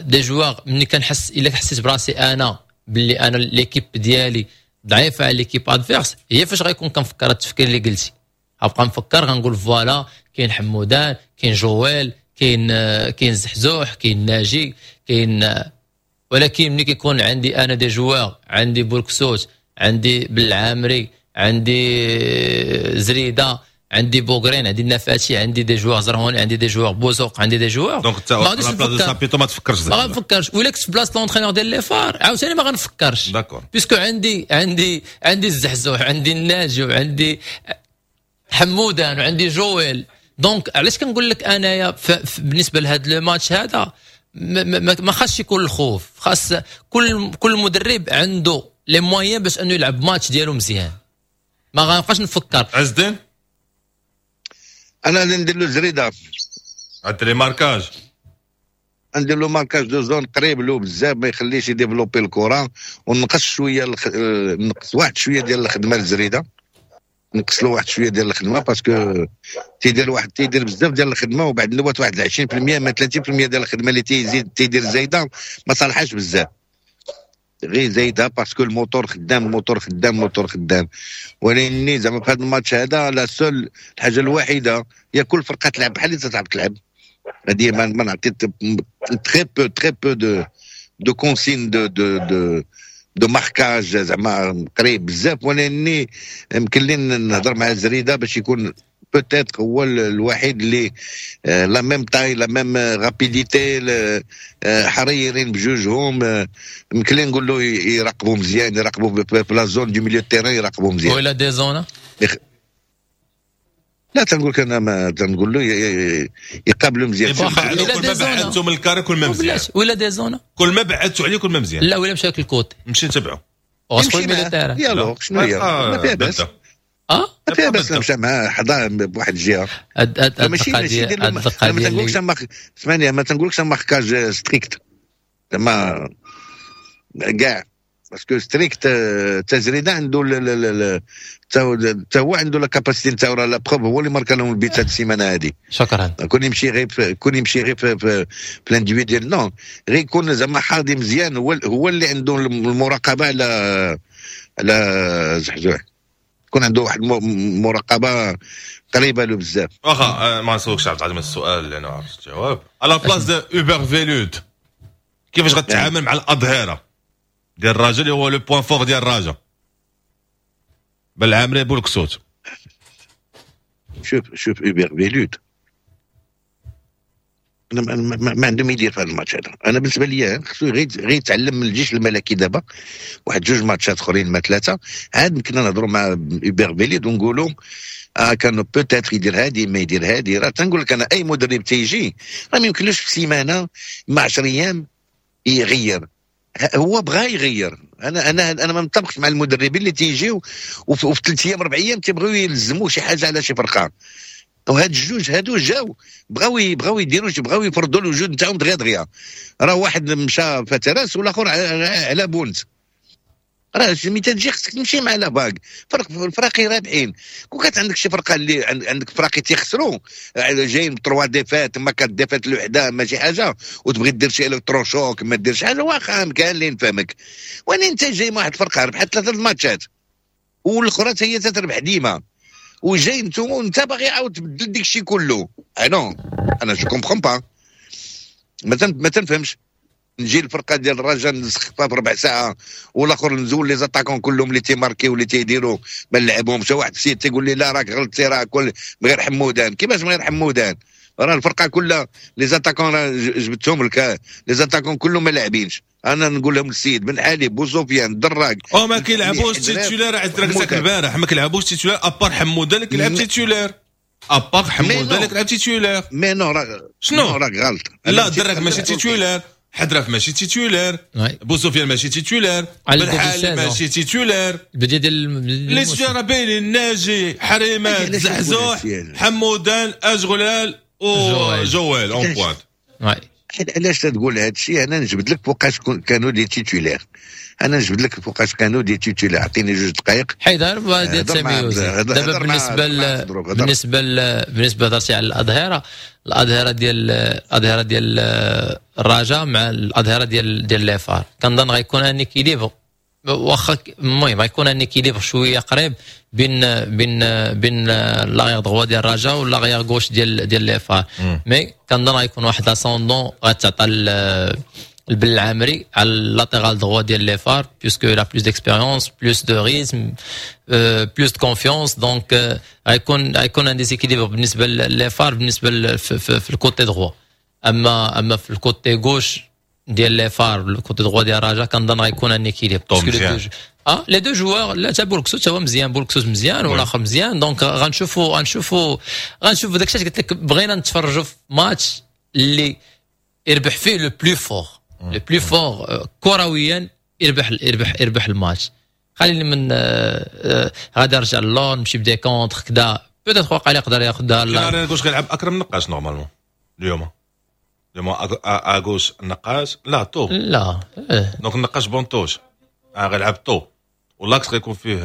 des joueurs، ملي كنحس، الا حسيت براسي انا باللي انا l'équipe ديالي ضعيفة على l'équipe adverse، هي فاش غيكون كنفكر التفكير اللي قلتي، غنبقى نفكر، غنقول voilà كاين حمودان، كاين جويل، كاين كاين زحزوح، كاين ناجي، كاين. ولكن ملي كيكون عندي انا des joueurs، عندي بولكسوت، عندي بالعامري، عندي زريده، عندي بوغرين، عندي النفاتي، عندي des joueurs زرهوني، عندي des joueurs بوزوق، عندي des joueurs. donc انت la place سابيتو ما تفكرش؟ ما غنفكرش. ولا كنت في بلاصة l'entraîneur ديال les FAR عاوتاني ما غنفكرش. d'accord. puisque عندي عندي عندي الزحزوح، عندي الناجي، وعندي حمودان، وعندي جويل. donc علاش كنقول لك انايا بالنسبة لهذا le match هذا ما, ما, ما خاصش يكون الخوف، خاص كل كل مدرب عنده les moyens باش انه يلعب ماتش ديالو مزيان، ما غنبقاش نفكر. عز الدين. انا ندير له زريده. غدير marquage؟ ندير له marquage de zone قريب له بزاف، ما يخليش ي développer الكره، ونقص شوية الخ... نقص واحد شوية ديال الخدمة للزريده، نقص له واحد شوية ديال الخدمه، parce que تيدير واحد تيدير بزاف ديال الخدمه، وبعد الوقت واحد عشرين في المية ما ثلاثين في المية ديال الخدمة اللي تيزيد تيدير زايدة ما صالحاش بزاف، غير زايدة parce que ال moteur خدام، الموتور خدام، الموتور خدام. ولكن زعما في هذا الماتش هذا la seule الحاجة الوحيدة هي كل فرقه تلعب بحال اللي تلعب تلعب هذه ما ما نعطي très peu très peu de de consignes de de de de marquage زعما قريب بزاف. ولاني يمكن لي نهضر مع زريده باش يكون peut-être هو الوحيد اللي la même taille، la même rapidité، حريرين بجوجهم، يمكن لي نقول له يراقبوا مزيان، يراقبوا في la zone du milieu terrain، يراقبوا مزيان. ولا des zones؟ لا، تنقول لك انا ما تنقول له يقابلوا مزيان. كل ما بعدتوا من ال carré كل ما مزيان. ولا des zones؟ كل ما بعدتوا عليه كل ما مزيان. لا، ولا مشى لل côté. مشي نتبعو. غتقول milieu terrain. يلا شنو هي؟ ما فيها باس. اه ما فيها باس، مشى معاه حدا بواحد الجهه. هاد ماشي ماشي القضية ما تنقولكش، اسمعني، ما تنقولكش marquage strict زعما كاع، parce que strict تزريده عنده تا هو عنده la capacité نتاعو، راه la preuve هو اللي ماركا لهم البيت هاد السيمانة هادي. شكرا. كون يمشي غير كون يمشي غير في, في, في l'individuel، non، غير يكون زعما حاضي مزيان، هو هو اللي عنده المراقبة على على زحزوح، يكون عنده واحد المراقبة قريبه له بزاف. واخا، ما نسولكش عبد العزيز السؤال لانه عرفت الجواب. à la place de اوبر فيلود، كيفاش غتعامل مع الاظهرة ديال الرجاء اللي هو le point fort ديال الرجاء، بالعامري، بولكسوت؟ شوف شوف، اوبر فيلود انا ما, ما عنده ما يدير في هذا الماتش هذا. انا بالنسبة لي خصو غير غير يتعلم من الجيش الملكي دابا واحد جوج ماتشات اخرين ما ثلاثه، عاد يمكن نهضروا مع اوبر فيلود ونقولوا اه كانوا peut-être يدير هادي ما يدير هادي. راه تنقول لك انا اي مدرب تيجي راه ما يمكنلوش في سيمانه مع عشر ايام يغير. هو بغى يغير. انا انا انا ما متفقش مع المدربين اللي تيجيو وفي ثلاث ايام اربع ايام تيبغيو يلزموا شي حاجة على شي فرقه. وهاد الجوج هادو جاو بغاو بغاو يديروا، بغاو يفرضوا الوجود نتاعهم دغيا دغيا. راه واحد مشى فتراس والاخر على بونت. راه ملي تجي خصك تمشي مع la vague. فرق الفراقي رابحين. كون كانت عندك شي فرقه اللي عندك فراقي تيخسروا جايين ب trois défaites، ما quatre défaites الوحدة ما شي حاجة، وتبغي دير شي électrochoc ما دير شي حاجه، واخا كان اللي نفهمك. وين انت جاي مع واحد الفرقة ربحت ثلاثة الماتشات والاخرى هي تتربح ديما، وجاي انتم وانت باغي عاود تبدل ديك الشيء كله. انا انا je comprends pas، ما تنفهمش. نجي الفرقة ديال الرجاء نسخفها بربع ساعة والاخر نزول les attaquants كلهم اللي تيماركيو واللي تيديروا ما نلعبهمش. واحد السيد تيقول لي لا راك غلطتي، راه كل من غير حمودان. كيفاش من غير حمودان؟ راه الفرقة كلها les attaquants جبتهم لك، les attaquants كلهم ما لاعبينش. انا نقول لهم السيد بن علي، بوسفيان، دراك او ما كيلعبوش titulaires. عز البارح ما كيلعبوش titulaires à part حمودان اللي كيلعب titulaire، à part حمودان اللي كيلعب titulaire. mais non راه شنو راك غلط. لا دراك ماشي titulaire، حدراف ماشي titulaire، بوسفيان ماشي titulaire، بن ماشي titulaire. البداية ديال les titulaires باينين، ناجي، حريمات، زحزوح، حمودان، اجغلال وجوال en pointe. علاش تقول هذا الشيء؟ انا نجبد لك فوقاش كانوا des titulaires، انا نجبد لك فوقاش كانوا des titulaires. اعطيني جوج دقائق. حيدر ديال سامي. دابا بالنسبة ل... بالنسبة ل... بالنسبة هضرتي على الاظهره، الاظهرة ديال الاظهرة ديال الرجاء مع الاظهرة ديال ديال les FAR، كنظن غيكون un équilibre، واخا المهم غيكون un équilibre شوية قريب بين بين بين l'arrière droit ديال الرجاء و l'arrière gauche ديال ديال les FAR. mais كنظن غيكون واحد l'ascendant غتعطى البلعامري على latéral droit ديال les FAR، puisque il a plus d'expérience، plus de rythme، plus de confiance. donc غيكون غيكون un déséquilibre بالنسبة les FAR بالنسبة في, في, في ال côté droit. اما اما في ال côté gauche ديال les FAR، ال côté droit ديال الرجاء، كنظن غيكون un équilibre. اه les deux joueurs، لا تا بولكسوت هو مزيان، بولكسوت مزيان والاخر مزيان. donc غنشوفوا غنشوفوا غنشوفوا داكشي قلت لك، بغينا نتفرجوا في ماتش اللي يربح فيه le plus fort، le plus fort كرويا يربح يربح يربح الماتش. خليني من غادي نرجع اللون نمشي ب des contres كذا، peut-être واقع يقدر ياخذها. لا gauche غيلعب اكرم نقاش normalement اليوم، اليوم à gauche النقاش لا تو لا. donc النقاش banc de touche غيلعب تو، و l'axe غيكون فيه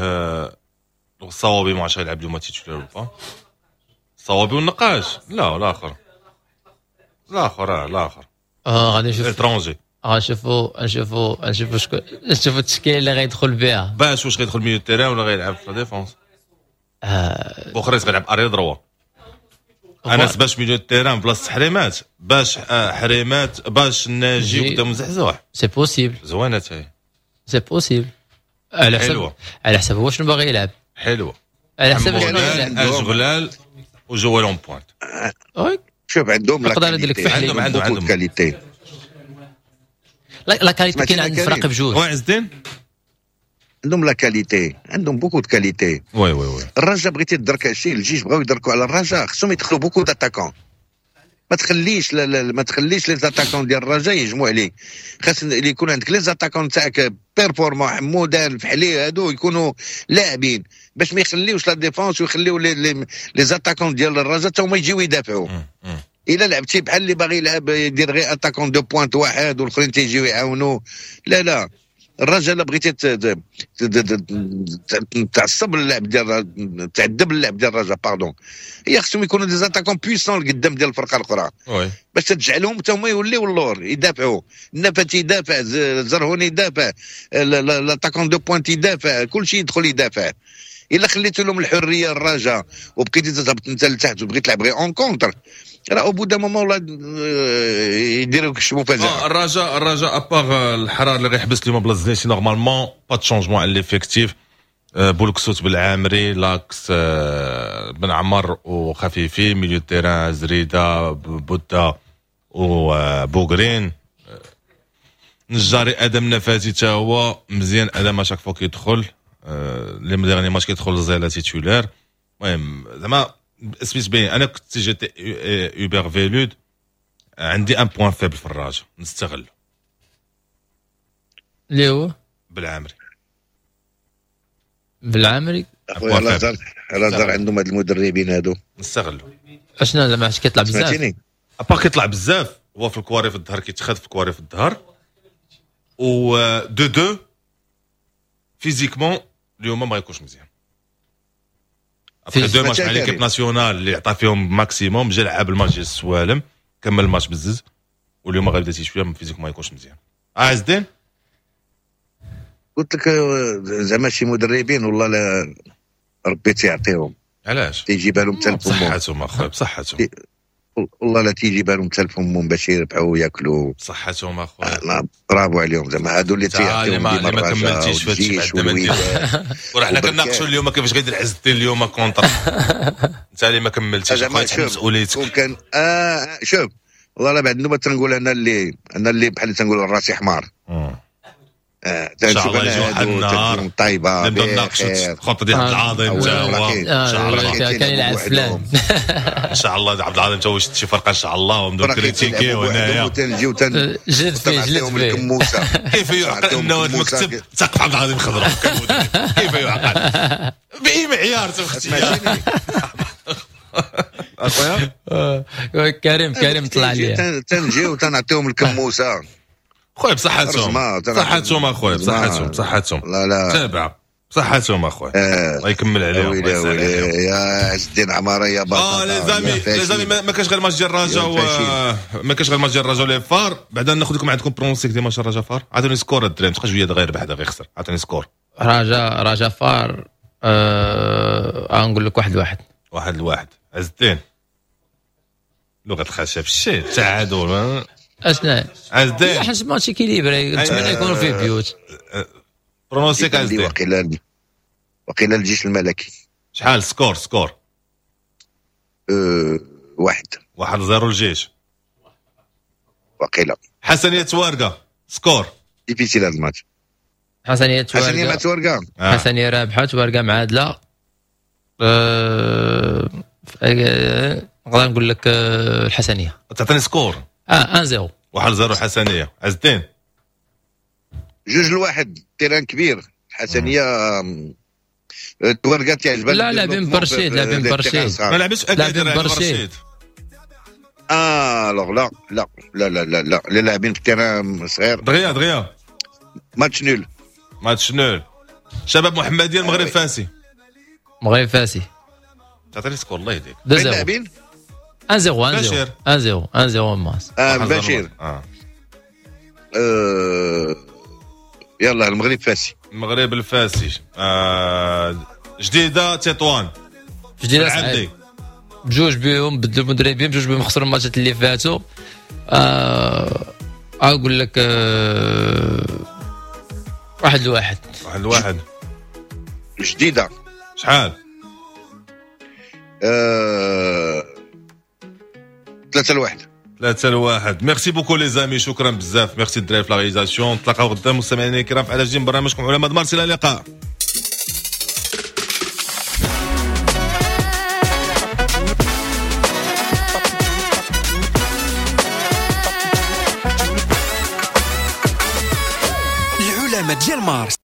الصوابي، ما عرفتش غيلعب اليوم titulaire pas الصوابي والنقاش. لا الاخر، الاخر الاخر اه غادي نشوف étranger. غنشوفوا نشوفوا نشوفوا شكون، نشوفوا التشكيلة اللي غيدخل بها. باش واش غيدخل milieu terrain ولا غيلعب في la défense؟ آه بوخريس غيلعب arrière droit. انا باش milieu terrain بلاصة حريمات، باش آه حريمات باش ناجي قدام زحزوح. c'est possible. زوينة تاهي. c'est possible على حسب على حسب هو شنو باغي يلعب. حلوه. على حسب شنو باغي يلعب. اشغلال وجوال en pointe. oui. شوف عندهم la qualité، عندهم عندهم عندهم qualité. la qualité كاين عند الفرق بجوج. oui عز الدين. عندهم la qualité، عندهم beaucoup de qualité. oui oui oui. الرجاء بغيتي تدرك شي الجيش بغاو يدركوا على الرجاء، خصهم يدخلوا beaucoup d'attaquants. ما تخليش لا لا ما تخليش les attaquants ديال الرجاء يهجموا عليك. خاص اللي يكون عندك les attaquants تاعك performants، حمودان، فحلي، هادو يكونوا لاعبين باش ما يخليوش la défense ويخليو les les, les attaquants ديال الرجاء حتى هما يجيو يدافعوا. الا لعبتي بحال اللي باغي يلعب يدير غير attaquant de pointe واحد والاخرين تيجيو يعاونوا، لا لا. الرجاء بغيتي تعصب اللعب ديال تعذب اللعب ديال الرجاء pardon، هي خصهم يكونوا des attaquants puissants القدام ديال الفرقة الاخرى باش تجعلهم حتى هما يوليو اللور يدافعوا. النفات يدافع، زرهوني يدافع، l'attaquant de pointe يدافع، كل شيء يدخل يدافع. الا خليت لهم الحرية الرجاء وبقيتي تهبط انت لتحت وبغيت تلعب غير en contre، راه au bout d'un moment ولا يديروا شي مفاجاه. الرجاء الرجاء à part الحرار اللي غيحبس اليوم بلاصة زنيتي، normalement pas de changement على l'effectif. بولكسوت بالعامري، l'axe بن عمر وخفيفي، milieu terrain زريده، بودا وبوغرين، نجاري، ادم نفاتي تا هو مزيان. ادم à chaque fois كيدخل les derniers matchs كيدخل زيلا titulaire. المهم زعما سميت بين انا كنت j'étais Hubert Velud، عندي un point faible في الرجاء نستغل اللي هو بالعامري. بالعامري. اخويا لازار لازار عندهم هاد المدربين هادو. نستغلوا. اشنو زعما كيطلع بزاف؟ سمعتيني؟ à part كيطلع بزاف هو في الكواري في الظهر، كيتخذ في الكواري في الظهر و deux deux physiquement اليوم ما يكونش مزيان. après deux matchs مع l'équipe nationale اللي عطى فيهم maximum، جا لعب الماتش ديال السوالم، كمل الماتش بزز، واليوم غيبدا شوية physiquement ما يكونش مزيان. عز الدين قلت لك زعما شي مدربين والله لا ربي تيعطيهم. علاش؟ تيجيبها لهم حتى لفمهم. بصحتهم اخويا بصحتهم، والله لا تيجيبها لهم حتى لفمهم باش يربحوا وياكلوا. بصحتهم اخويا، برافو عليهم زعما هادو اللي تيعطيهم ديما. ما كملتيش في هادشي بعدا ما ندير. وراه حنا كنناقشوا اليوم كيفاش غيدير عز الدين اليوم contre. انت اللي ما كملتيش اخويا تحمل مسؤوليتك. كان اه شوف والله لا بعد النوبة تنقول انا اللي انا اللي بحال تنقول راسي حمار. اه ان شاء الله يجي واحد النهار طيبة نبداو نناقشوا الخطة ديال عبد العظيم تا هو ان شاء الله كان يلعب فلان. ان شاء الله عبد العظيم تا هو شي فرقه ان شاء الله، ونبداو critiquer هنايا وتنجيو جلد فيه جلد فيه. كيف يعقل انه المكتب تقف عبد العظيم خضراء؟ كيف يعقل؟ باي معيار تاختي اخويا كريم؟ كريم طلع لي تنجيو تنعطيهم الكموسه خويا بصحتهم بصحتهم اخويا بصحتهم بصحتهم. لا لا تابع بصحتهم اخويا، الله يكمل عليهم. ويلي ويلي يا عز الدين عمارة يا بطل. اه les amis les amis ما كاش غير ماتش ديال الرجاء و ما كاش غير ماتش ديال الرجاء les FAR. بعدا ناخذ لكم عندكم pronostic ديال ماتش الرجاء فار. عطوني score الدراري، تبقى شوية غير ربح هذا غير خسر. عطوني score رجاء رجاء فار. آه نقول لك واحد لواحد. واحد لواحد. عز الدين لغة الخشب الشيء تعادل. اشنا عز الدين؟ حيت match équilibré نتمنى يكونوا فيه buts. pronostic عز الدين. وقيلا وقيلا الجيش الملكي. شحال score score؟ أه واحد واحد zéro الجيش وقيلا. حسنية توارقة score. difficile هذا الماتش. حسنية توارقة حسنية توارقة آه. حسنية رابحة توارقة معادلة. أه... نقدر نقول لك الحسنية. تعطيني score؟ اه واحد صفر. واحد صفر حسنية. عز الدين؟ جوج لواحد، terrain كبير الحسنية. التوارقة تعجبها. لا لاعبين برشيد لاعبين برشيد ما لعبش اكادير برشيد. اه لا لا لا لا لا لا لا لاعبين في ال terrain صغير. دغيا دغيا match nul. match nul. شباب محمدية المغرب فاسي. المغرب فاسي. تعطيني score الله يهديك. لاعبين واحد صفر واحد صفر واحد صفر واحد صفر ماس. اه بشير. اه يلا المغرب فاسي. المغرب الفاسي. آه جديدة تطوان. جديدة صعيب. بجوج بيهم بدلوا المدربين، بجوج بيهم خسروا الماتشات اللي فاتوا. آه اقول لك آه واحد لواحد. واحد لواحد. جديدة شحال؟ آه... ثلاثة لواحد. ثلاثة لواحد. merci beaucoup les amis، شكرا بزاف. ميرسي الدراري في la réalisation. نتلاقاو غدا مستمعينا الكرام في على جديد برنامجكم علماء مارس. الى اللقاء. العلماء ديال مارس.